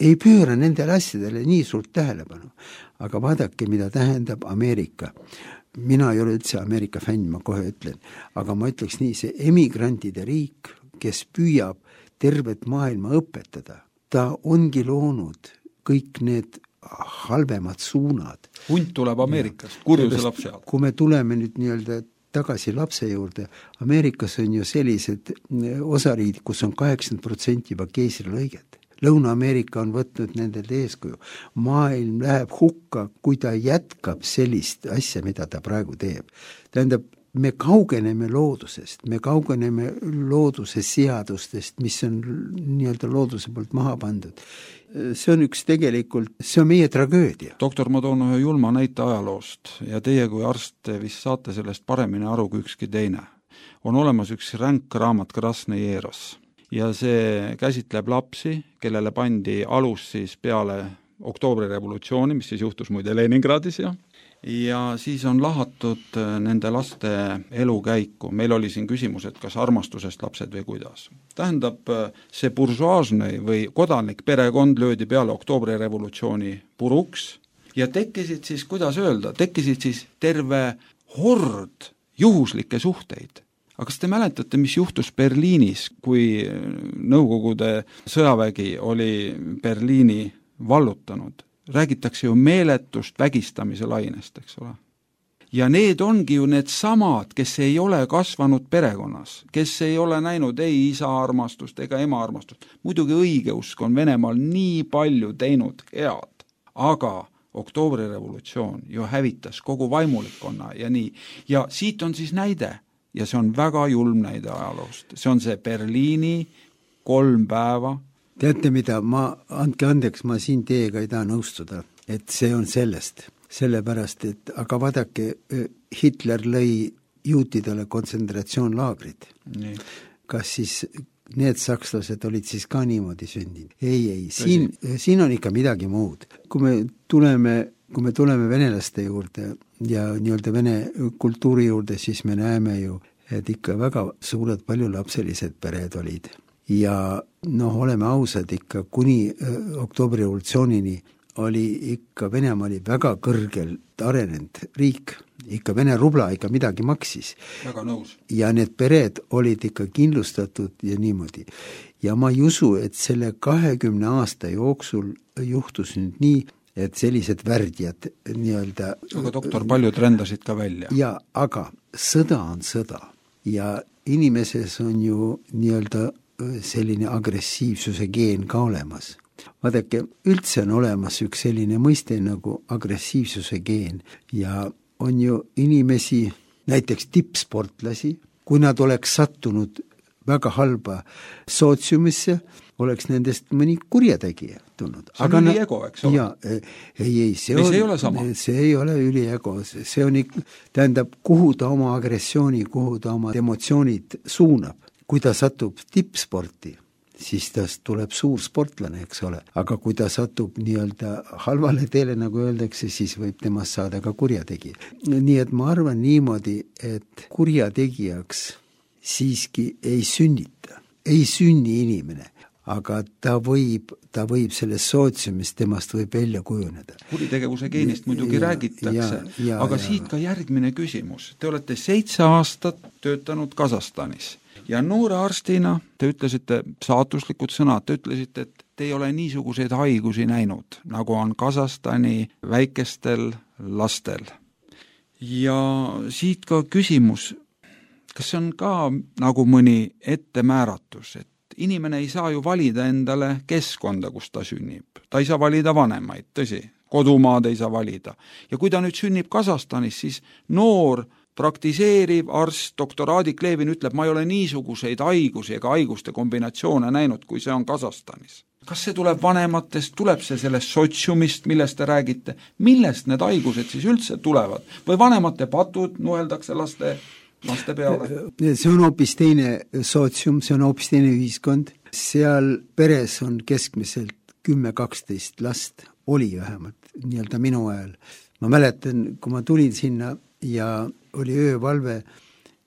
ei pööra nendele asjadele nii suurt tähelepanu. Aga vaadake, mida tähendab Ameerika. Mina ei ole üldse Ameerika fänn, ma kohe ütlen. Aga ma ütleks nii, see emigrantide riik, kes püüab tervet maailma õpetada, ta ongi loonud kõik need halvemad suunad. Hunt tuleb Ameerikast, kurjuse laps seal. Kui me tuleme nüüd nii-öelda tagasi lapse juurde, Ameerikas on ju sellised osariid, kus on kaheksakümmend protsenti juba keisrilõiget. Lõuna-Ameerika on võtnud nendelt eeskuju. Maailm läheb hukka, kui ta jätkab sellist asja, mida ta praegu teeb. Tähendab, me kaugeneme loodusest, me kaugeneme looduse seadustest, mis on nii-öelda looduse poolt maha pandud. See on üks tegelikult, see on meie tragöödia. Doktor, ma toon ühe julma näite ajaloost ja teie kui arst vist saate sellest paremini aru kui ükski teine. On olemas üks ränk raamat Krasnõjeros ja see käsitleb lapsi, kellele pandi alus siis peale oktoobri revolutsiooni, mis siis juhtus muide Leningradis ja ja siis on lahatud nende laste elukäiku. Meil oli siin küsimus, et kas armastusest lapsed või kuidas. Tähendab, see buržuaasne või kodanik perekond löödi peale oktoobri revolutsiooni puruks ja tekkisid siis, kuidas öelda, tekkisid siis terve hord juhuslikke suhteid. Aga kas te mäletate, mis juhtus Berliinis, kui Nõukogude sõjavägi oli Berliini vallutanud? Räägitakse ju meeletust vägistamise lainest, eks ole. Ja need ongi ju need samad, kes ei ole kasvanud perekonnas, kes ei ole näinud ei isa armastust ega ema armastust. Muidugi õigeusk on Venemaal nii palju teinud head, aga oktoobrirevolutsioon ju hävitas kogu vaimulikkonna ja nii. Ja siit on siis näide ja see on väga julm näide ajaloost. See on see Berliini kolm päeva. Teate mida, ma, andke andeks, ma siin teiega ei taha nõustuda, et see on sellest. Sellepärast, et aga vaadake, Hitler lõi juutidele kontsentratsioonlaagrid. Nii. Kas siis need sakslased olid siis ka niimoodi sündinud? Ei, ei, siin, siin on ikka midagi muud. Kui me tuleme, kui me tuleme venelaste juurde ja nii-öelda vene kultuuri juurde, siis me näeme ju, et ikka väga suured paljulapselised pered olid. Ja noh, oleme ausad ikka, kuni oktoobri revolutsioonini oli ikka, Venemaa oli väga kõrgelt arenenud riik, ikka Vene rubla ikka midagi maksis. Väga nõus. Ja need pered olid ikka kindlustatud ja niimoodi. Ja ma ei usu, et selle kahekümne aasta jooksul juhtus nüüd nii, et sellised värdjad nii-öelda... Aga doktor, paljud rendasid ka välja. Ja, aga sõda on sõda ja inimeses on ju nii-öelda selline agressiivsuse geen ka olemas. Vaadake, üldse on olemas üks selline mõiste nagu agressiivsuse geen ja on ju inimesi, näiteks tippsportlasi, kui nad oleks sattunud väga halba sootsiumisse, oleks nendest mõni kurjategija tulnud. See on üliego, eks ole? Ja, ei, ei, see, on, see ei ole sama. See ei ole üliego, see on ikka, tähendab, kuhu ta oma agressiooni, kuhu ta oma emotsioonid suunab. Kui ta satub tippsporti, siis tast tuleb suur sportlane, eks ole. Aga kui ta satub nii-öelda halvale teele, nagu öeldakse, siis võib temast saada ka kurjategija. Nii et ma arvan niimoodi, et kurjategijaks siiski ei sünnita. Ei sünni inimene, aga ta võib, ta võib selles sootsiumis, temast võib välja kujuneda. Kuritegevuse geenist muidugi ja, räägitakse, ja, ja, aga ja. Siit ka järgmine küsimus. Te olete seitse aastat töötanud Kasahstanis. Ja noore arstina te ütlesite saatuslikud sõnad, te ütlesite, et te ei ole niisuguseid haigusi näinud, nagu on Kasahstani väikestel lastel. Ja siit ka küsimus, kas see on ka nagu mõni ettemääratus, et inimene ei saa ju valida endale keskkonda, kus ta sünnib. Ta ei saa valida vanemaid, tõsi, kodumaad ei saa valida. Ja kui ta nüüd sünnib Kasahstanis, siis noor praktiseeriv arst, doktor Aadik Levin ütleb, ma ei ole niisuguseid haigusi ega haiguste kombinatsioone näinud, kui see on Kasahstanis. Kas see tuleb vanematest, tuleb see sellest sotsiumist, millest te räägite? Millest need haigused siis üldse tulevad? Või vanemate patud nuheldakse laste, laste peale? See on hoopis teine sotsium, see on hoopis teine ühiskond. Seal peres on keskmiselt kümme kaksteist last, oli vähemalt nii-öelda minu ajal. Ma mäletan, kui ma tulin sinna ja oli öövalve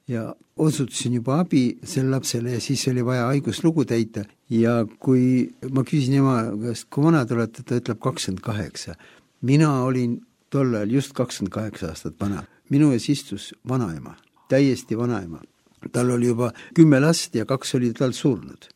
ja osutasin juba abi selle lapsele ja siis oli vaja haiguslugu täita ja kui ma küsin ema käest, kui vana te olete, ta ütleb kakskümmend kaheksa. Mina olin tol ajal just kakskümmend kaheksa aastat vana. Minu ees istus vanaema, täiesti vanaema. Tal oli juba kümme last ja kaks oli tal surnud.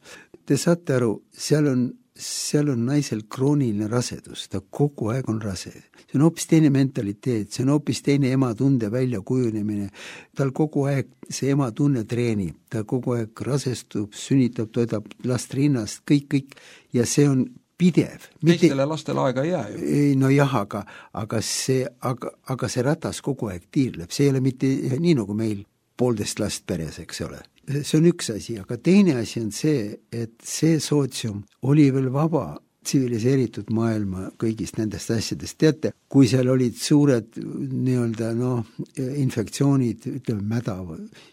Te saate aru, seal on seal on naisel krooniline rasedus, ta kogu aeg on rase. See on hoopis teine mentaliteet, see on hoopis teine ematunde välja kujunemine. Tal kogu aeg see ematunne treenib, ta kogu aeg rasestub, sünnitab, toidab last rinnast, kõik, kõik ja see on pidev. Teistele lastele aega ei jää ju. No jah, aga, aga, see, aga, aga see ratas kogu aeg tiirleb, see ei ole mitte nii nagu meil poolteist last peres, eks ole. See on üks asi, aga teine asi on see, et see sootsium oli veel vaba tsiviliseeritud maailma kõigist nendest asjadest. Teate, kui seal olid suured nii-öelda no, infektsioonid, ütleme mäda,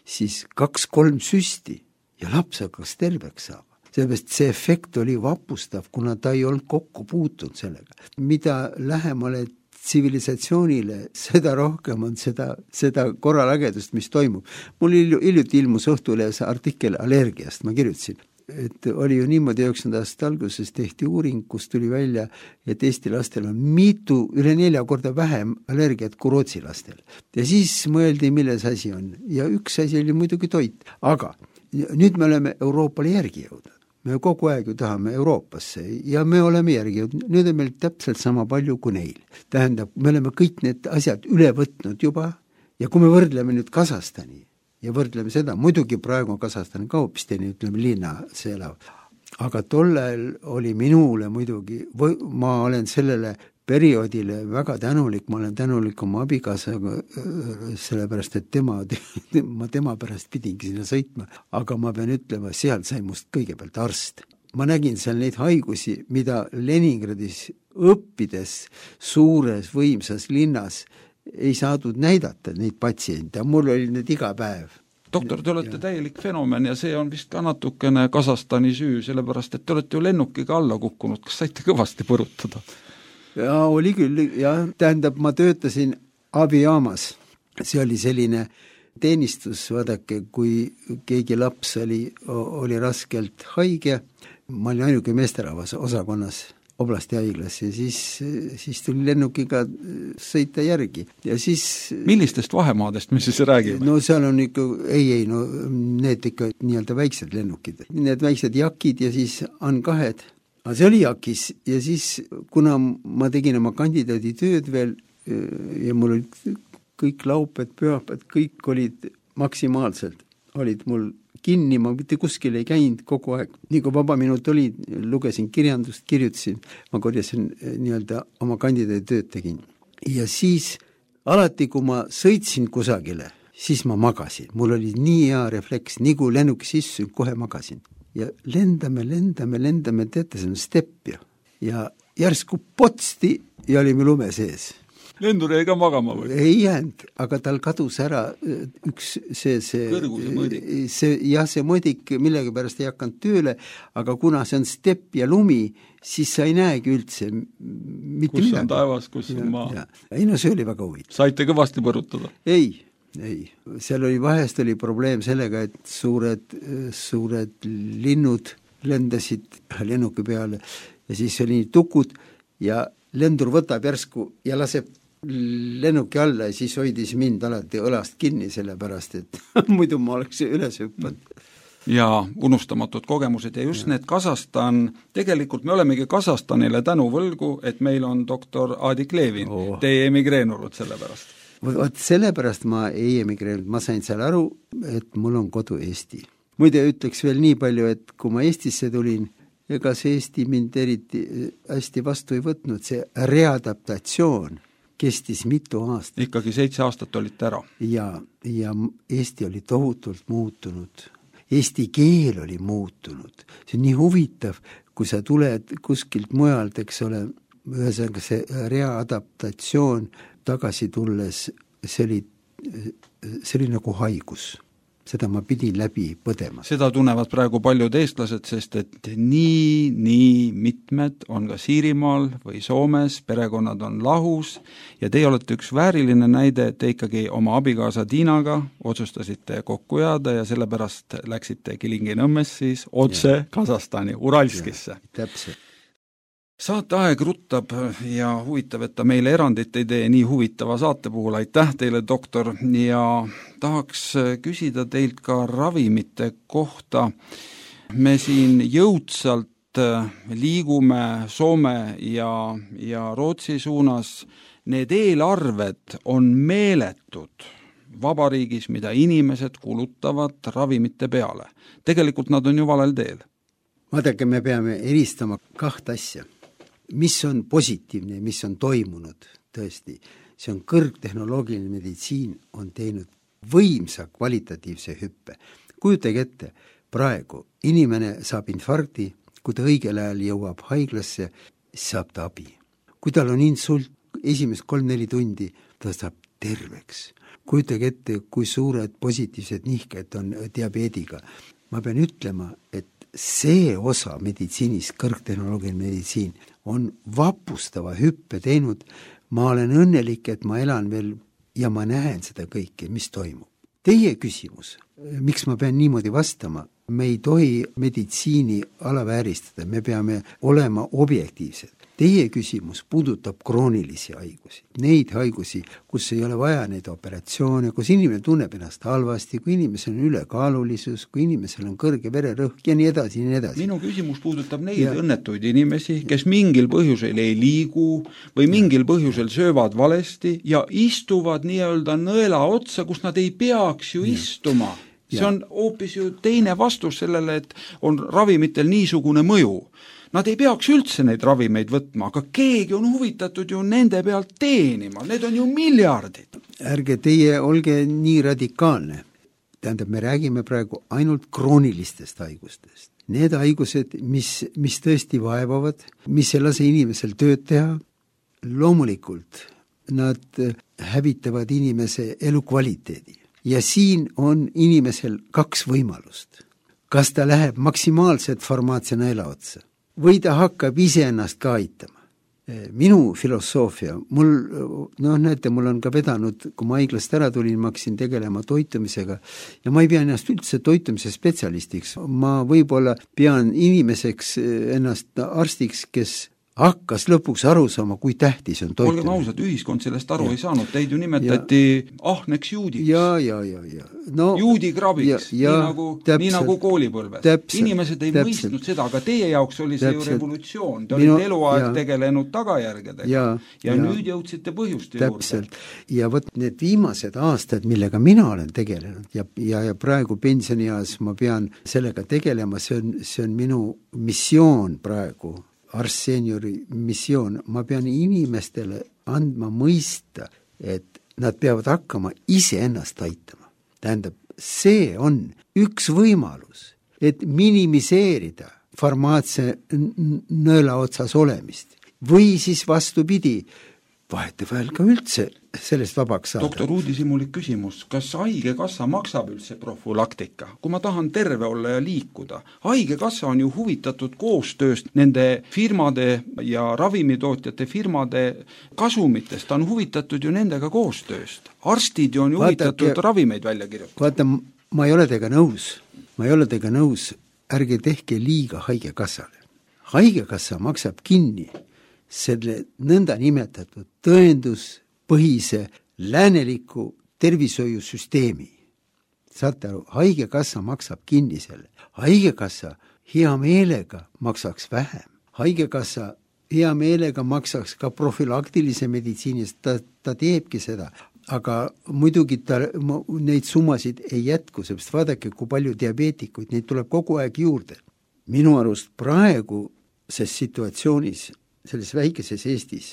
siis kaks-kolm süsti ja laps hakkas terveks saama. Sellepärast see efekt oli vapustav, kuna ta ei olnud kokku puutunud sellega. Mida lähemale tsivilisatsioonile, seda rohkem on seda, seda korralagedust, mis toimub. Mul hiljuti ilmus õhtulehes artikkel allergiast, ma kirjutasin, et oli ju niimoodi üheksakümnenda aasta alguses tehti uuring, kus tuli välja, et Eesti lastel on mitu, üle nelja korda vähem allergiat kui Rootsi lastel. Ja siis mõeldi, milles asi on. Ja üks asi oli muidugi toit. Aga nüüd me oleme Euroopale järgi jõudnud. Me kogu aeg ju tahame Euroopasse ja me oleme järgi jõudnud. Nüüd on meil täpselt sama palju kui neil. Tähendab, me oleme kõik need asjad üle võtnud juba ja kui me võrdleme nüüd Kasahstani ja võrdleme seda, muidugi praegu on Kasahstani ka hoopis teine, ütleme linna see elav. Aga tollel oli minule muidugi, või ma olen sellele perioodile väga tänulik, ma olen tänulik oma abikaasaga, sellepärast, et tema, ma tema pärast pidingi sinna sõitma, aga ma pean ütlema, seal sai must kõigepealt arst. Ma nägin seal neid haigusi, mida Leningradis õppides suures võimsas linnas ei saadud näidata, neid patsiente, mul oli need iga päev. Doktor, te olete ja. täielik fenomen ja see on vist ka natukene Kasahstani süü, sellepärast, et te olete ju lennukiga alla kukkunud, kas saite kõvasti põrutada? Ja oli küll, ja tähendab, ma töötasin abijaamas, see oli selline teenistus, vaadake, kui keegi laps oli, oli raskelt haige, ma olin ainuke meesterahvas osakonnas oblasti haiglas ja siis, siis tuli lennukiga sõita järgi. Ja siis, millistest vahemaadest me siis räägime? No seal on ikka, ei, ei, no need ikka nii-öelda väiksed lennukid. Need väiksed jakid ja siis on kahed. Aga see oli jakis ja siis, kuna ma tegin oma kandidaadi tööd veel ja mul olid kõik lauped, pühapad, kõik olid maksimaalselt, olid mul kinni, ma mitte kuskil ei käinud kogu aeg. Nii kui vaba minut oli, lugesin kirjandust, kirjutasin, ma korjasin nii-öelda oma kandidaadi tööd tegin. Ja siis alati, kui ma sõitsin kusagile, siis ma magasin. Mul oli nii hea refleks, nii kui lennuk sissu, kohe magasin. Ja lendame, lendame, lendame, teete see on stepp ja. Ja järsku potsti ja olime lume sees. Lendur jäi ka magama või? Ei jäänud, aga tal kadus ära üks see, see, kõrguse mõõdik. See, jah, see mõõdik millegi pärast ei hakanud tööle, aga kuna see on stepp ja lumi, siis sa ei näegi üldse mitte kus midagi. On taevas, kus ja, on maa. Ei no see oli väga huvitav. Saite kõvasti põrutada? Ei, ei. Seal oli vahest oli probleem sellega, et suured, suured linnud lendasid lennuki peale ja siis oli tukud ja lendur võtab järsku ja laseb lennuki alla ja siis hoidis mind alati õlast kinni, sellepärast, et muidu ma oleks üles hüppanud. Ja unustamatud kogemused ja just ja. Need Kasahstan, tegelikult me olemegi Kasahstanile tänu võlgu, et meil on doktor Adik Levin, oh. Te ei emigreerunud sellepärast. Vot sellepärast ma ei emigreerunud, ma sain seal aru, et mul on kodu Eesti. Muide ütleks veel nii palju, et kui ma Eestisse tulin, ega see Eesti mind eriti hästi vastu ei võtnud, see readaptatsioon kestis mitu aastat. Ikkagi seitse aastat olite ära. Ja, ja Eesti oli tohutult muutunud. Eesti keel oli muutunud. See on nii huvitav, kui sa tuled kuskilt mujalt, eks ole, ühesõnaga see readaptatsioon tagasi tulles, see oli, see oli nagu haigus. Seda ma pidin läbi põdema. Seda tunnevad praegu paljud eestlased, sest et nii, nii mitmed on ka Siirimaal või Soomes, perekonnad on lahus ja teie olete üks vääriline näide, et te ikkagi oma abikaasa Tiinaga otsustasite kokku jääda ja sellepärast läksite Kilingi-Nõmmes siis otse ja. Kasahstani, Uralskisse. Ja, täpselt. Saate aeg ruttab ja huvitav, et ta meile erandit ei tee nii huvitava saate puhul. Aitäh teile, doktor, ja tahaks küsida teilt ka ravimite kohta. Me siin jõudsalt liigume Soome ja, ja Rootsi suunas. Need eelarved on meeletud vabariigis, mida inimesed kulutavad ravimite peale. Tegelikult nad on ju valel teel. Vaadake, me peame eristama kaht asja. Mis on positiivne, mis on toimunud tõesti, see on kõrgtehnoloogiline meditsiin on teinud võimsa kvalitatiivse hüppe. Kujutage ette, praegu inimene saab infarkti, kui ta õigel ajal jõuab haiglasse, saab ta abi. Kui tal on insult, esimest kolm-neli tundi, ta saab terveks. Kujutage ette, kui suured positiivsed nihked on diabeediga. Ma pean ütlema, et see osa meditsiinis, kõrgtehnoloogiline meditsiin, on vapustava hüppe teinud. Ma olen õnnelik, et ma elan veel ja ma näen seda kõike, mis toimub. Teie küsimus, miks ma pean niimoodi vastama? Me ei tohi meditsiini alavääristada, me peame olema objektiivsed. Teie küsimus puudutab kroonilisi haigusi. Neid haigusi, kus ei ole vaja neid operatsioone, kus inimene tunneb ennast halvasti, kui inimesel on ülekaalulisus, kui inimesel on kõrge vererõhk ja nii edasi, nii edasi. Minu küsimus puudutab neid ja. Õnnetuid inimesi, kes mingil põhjusel ei liigu või mingil põhjusel söövad valesti ja istuvad nii-öelda nõela otsa, kus nad ei peaks ju ja. Istuma. See on hoopis ju teine vastus sellele, et on ravimitel niisugune mõju. nad ei peaks üldse neid ravimeid võtma, aga keegi on huvitatud ju nende pealt teenima, need on ju miljardid. Ärge teie olge nii radikaalne. Tähendab, me räägime praegu ainult kroonilistest haigustest. Need haigused, mis, mis tõesti vaevavad, mis ei lase inimesel tööd teha, loomulikult nad hävitavad inimese elukvaliteedi. Ja siin on inimesel kaks võimalust. Kas ta läheb maksimaalselt farmaatsia nõela otsa või ta hakkab iseennast ka aitama. Minu filosoofia, mul, noh näete, mul on ka vedanud, kui ma haiglast ära tulin, ma hakkasin tegelema toitumisega ja ma ei pea ennast üldse toitumise spetsialistiks. Ma võib-olla pean inimeseks ennast arstiks, kes hakkas lõpuks aru saama, kui tähtis on toitumine. Olgem ausad, ühiskond sellest aru ja. ei saanud, teid ju nimetati ja. ahneks juudiks. Ja, ja, ja, ja. No, juudikrabiks, nii nagu, nii nagu koolipõlves. Täpselt, inimesed ei täpselt. mõistnud seda, aga teie jaoks oli see täpselt. ju revolutsioon. Te olite eluaeg ja. tegelenud tagajärgedega ja, ja, ja nüüd jõudsite põhjuste täpselt. juurde. Ja võt need viimased aastad, millega mina olen tegelenud ja, ja, ja praegu pensionieas ma pean sellega tegelema, see on, see on minu missioon praegu, arstseeniori missioon, ma pean inimestele andma mõista, et nad peavad hakkama ise ennast aitama. Tähendab, see on üks võimalus, et minimiseerida farmaatsia nõela otsas olemist või siis vastupidi, vahetevahel ka üldse sellest vabaks saada. doktor Uudishimulik küsimus, kas haigekassa maksab üldse profülaktika? Kui ma tahan terve olla ja liikuda, haigekassa on ju huvitatud koostööst nende firmade ja ravimitootjate firmade kasumitest, ta on huvitatud ju nendega koostööst. Arstid ju on ju huvitatud Vaatake, ravimeid välja kirjutada. Vaata, ma ei ole teiega nõus, ma ei ole teiega nõus, ärge tehke liiga haigekassale. Haigekassa maksab kinni selle nõnda nimetatud tõenduspõhise lääneliku tervishoiusüsteemi. Saate aru, haigekassa maksab kinni selle. Haigekassa hea meelega maksaks vähem. Haigekassa hea meelega maksaks ka profülaktilise meditsiinist, ta, ta teebki seda. Aga muidugi ta, neid summasid ei jätku, seepärast vaadake, kui palju diabeetikuid, neid tuleb kogu aeg juurde. Minu arust praegu ses situatsioonis selles väikeses Eestis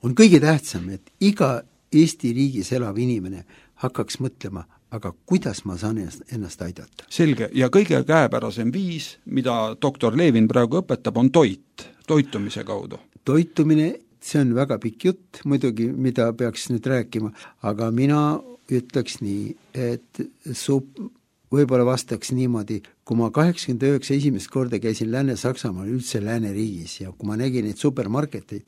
on kõige tähtsam, et iga Eesti riigis elav inimene hakkaks mõtlema, aga kuidas ma saan ennast, ennast aidata. Selge, ja kõige käepärasem viis, mida doktor Levin praegu õpetab, on toit, toitumise kaudu. Toitumine, see on väga pikk jutt, muidugi, mida peaks nüüd rääkima, aga mina ütleks nii, et sup võib-olla vastaks niimoodi, kui ma kaheksakümmend üheksa esimest korda käisin Lääne-Saksamaal üldse lääneriigis ja kui ma nägin neid supermarketeid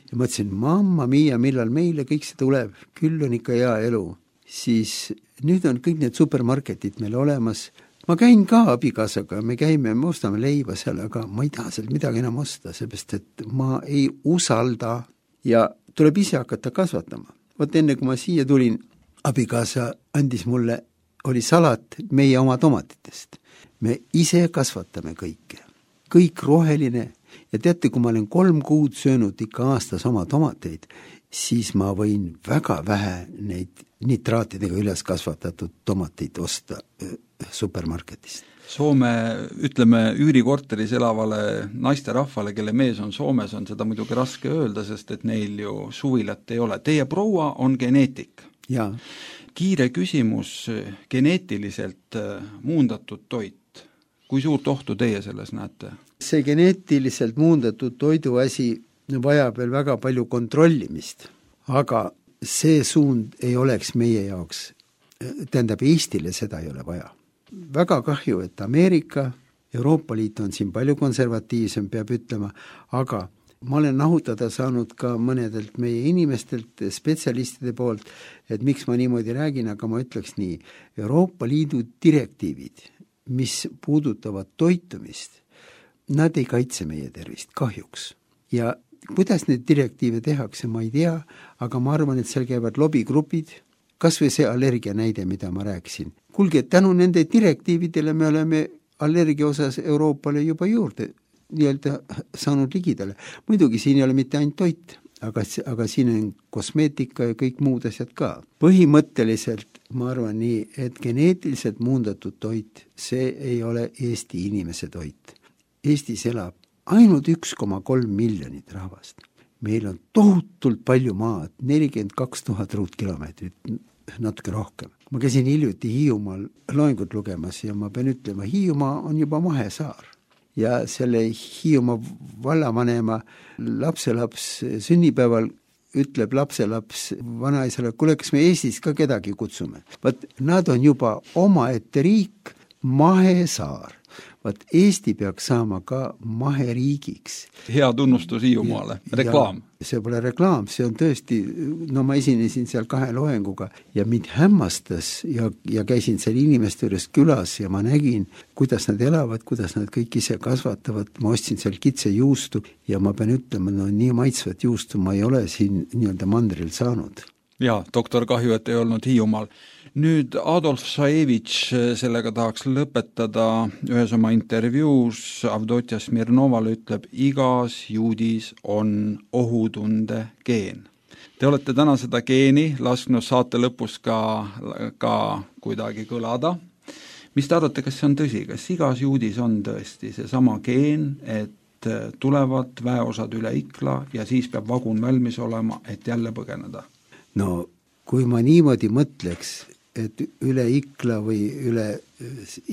ja mõtlesin, mamma mia, millal meile kõik see tuleb, küll on ikka hea elu, siis nüüd on kõik need supermarketid meil olemas. Ma käin ka abikaasaga, me käime, me ostame leiba seal, aga ma ei taha sealt midagi enam osta, seepärast et ma ei usalda ja tuleb ise hakata kasvatama. Võt enne, kui ma siia tulin, abikaasa andis mulle oli salat meie oma tomatitest. Me ise kasvatame kõike. Kõik roheline. Ja teate, kui ma olen kolm kuud söönud ikka aastas oma tomateid, siis ma võin väga vähe neid nitraatidega üles kasvatatud tomateid osta supermarketist. Soome, ütleme, üürikorteris elavale naisterahvale, kelle mees on Soomes, on seda muidugi raske öelda, sest et neil ju suvilat ei ole. Teie proua on geneetik. Jaa. Kiire küsimus, geneetiliselt muundatud toit. Kui suurt ohtu teie selles näete? See geneetiliselt muundatud toidu asi vajab veel väga palju kontrollimist, aga see suund ei oleks meie jaoks, tähendab Eestile seda ei ole vaja. Väga kahju, et Ameerika, Euroopa Liit on siin palju konservatiivsem, peab ütlema, aga ma olen nahutada saanud ka mõnedelt meie inimestelt, spetsialistide poolt, et miks ma niimoodi räägin, aga ma ütleks nii, Euroopa Liidu direktiivid, mis puudutavad toitumist, nad ei kaitse meie tervist kahjuks. Ja kuidas need direktiive tehakse, ma ei tea, aga ma arvan, et seal käivad lobigrupid, kas või see allergia näide, mida ma rääkisin. Kuulge, tänu nende direktiividele me oleme allergia osas Euroopale juba juurde nii-öelda saanud ligidale. Muidugi siin ei ole mitte ainult toit, aga, aga siin on kosmeetika ja kõik muud asjad ka. Põhimõtteliselt ma arvan nii, et geneetiliselt muundatud toit, see ei ole Eesti inimese toit. Eestis elab ainult üks koma kolm miljonit rahvast. Meil on tohutult palju maad, nelikümmend kaks tuhat ruutkilomeetrit, natuke rohkem. Ma käisin hiljuti Hiiumaal loengut lugemas ja ma pean ütlema, Hiiumaa on juba mahesaar. Ja selle Hiiumaa vallavanema lapselaps sünnipäeval ütleb lapselaps vanaisale, kuule, kas me Eestis ka kedagi kutsume. Vaat nad on juba omaette riik, mahesaar. Vaat Eesti peaks saama ka maheriigiks. Hea tunnustus Hiiumaale, reklaam. See pole reklaam, see on tõesti, no ma esinesin seal kahe loenguga ja mind hämmastas ja, ja käisin seal inimeste juures külas ja ma nägin, kuidas nad elavad, kuidas nad kõik ise kasvatavad. Ma ostsin seal kitse juustu ja ma pean ütlema, no nii maitsvat juustu ma ei ole siin nii-öelda mandril saanud. Jaa, doktor, kahju, et ei olnud Hiiumaal. Nüüd Adolf Saevitš, sellega tahaks lõpetada, ühes oma intervjuus Avdotja Smirnovale ütleb, igas juudis on ohutunde geen. Te olete täna seda geeni lasknud saate lõpus ka, ka kuidagi kõlada. Mis te arvate, kas see on tõsi? Kas igas juudis on tõesti see sama geen, et tulevad väeosad üle Ikla ja siis peab vagun valmis olema, et jälle põgeneda? No kui ma niimoodi mõtleks, et üle Ikla või üle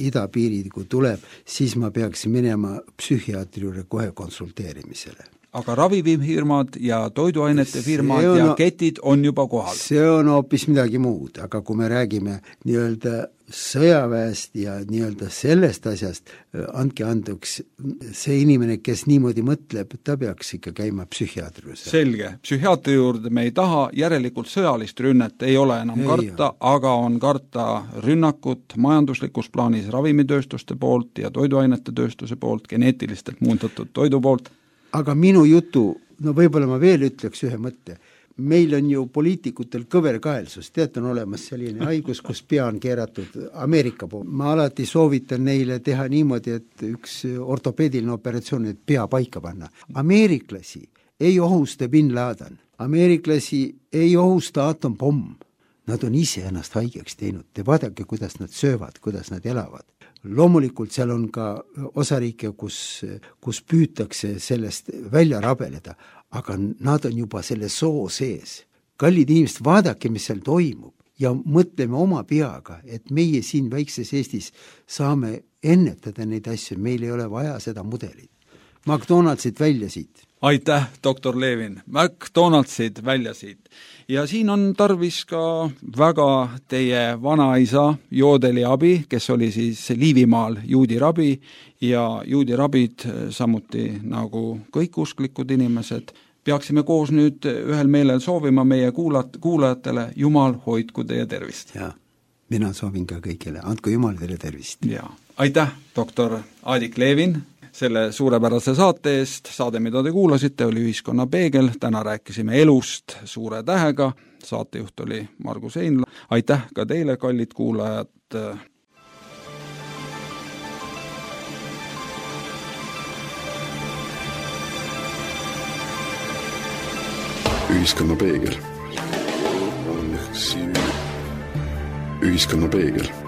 idapiiri, kui tuleb, siis ma peaks minema psühhiaatri juurde kohe konsulteerimisele. Aga ravifirmad ja toiduainete firmad on, ja ketid on juba kohal. See on hoopis midagi muud, aga kui me räägime nii-öelda sõjaväest ja nii-öelda sellest asjast, andke anduks, see inimene, kes niimoodi mõtleb, ta peaks ikka käima psühhiaatri juurde. Selge, psühhiaatri juurde me ei taha, järelikult sõjalist rünnet ei ole enam ei karta, ole. Aga on karta rünnakut majanduslikus plaanis ravimitööstuste poolt ja toiduainete tööstuse poolt, geneetilistelt muundatud toidu poolt. Aga minu jutu, no võib-olla ma veel ütleks ühe mõtte, meil on ju poliitikutel kõverkaelsus, tead, on olemas selline haigus, kus pea on keeratud Ameerika pool. Ma alati soovitan neile teha niimoodi, et üks ortopeediline operatsioon, et pea paika panna. Ameeriklasi ei ohusta Bin Laden, ameeriklasi ei ohusta atompomm. Nad on ise ennast haigeks teinud, te vaadake, kuidas nad söövad, kuidas nad elavad. Loomulikult seal on ka osariike, kus, kus püütakse sellest välja rabeleda, aga nad on juba selle soo sees. Kallid inimesed, vaadake, mis seal toimub ja mõtleme oma peaga, et meie siin väikses Eestis saame ennetada neid asju, meil ei ole vaja seda mudelit. McDonaldsid välja siit. Aitäh, doktor Levin. McDonaldsid välja siit. Ja siin on tarvis ka väga teie vanaisa Joodeli abi, kes oli siis Liivimaal juudi rabi ja juudi rabid samuti nagu kõik usklikud inimesed. Peaksime koos nüüd ühel meelel soovima meie kuulat, kuulajatele, Jumal hoidku teie tervist. Ja, mina soovin ka kõigile, andku Jumal teile tervist. Ja, aitäh, doktor Aadik Levin, selle suurepärase saate eest. Saade, mida te kuulasite, oli Ühiskonna peegel. Täna rääkisime elust suure tähega. Saatejuht oli Margus Einla. Aitäh ka teile, kallid kuulajad. Ühiskonna peegel. Ühiskonna peegel.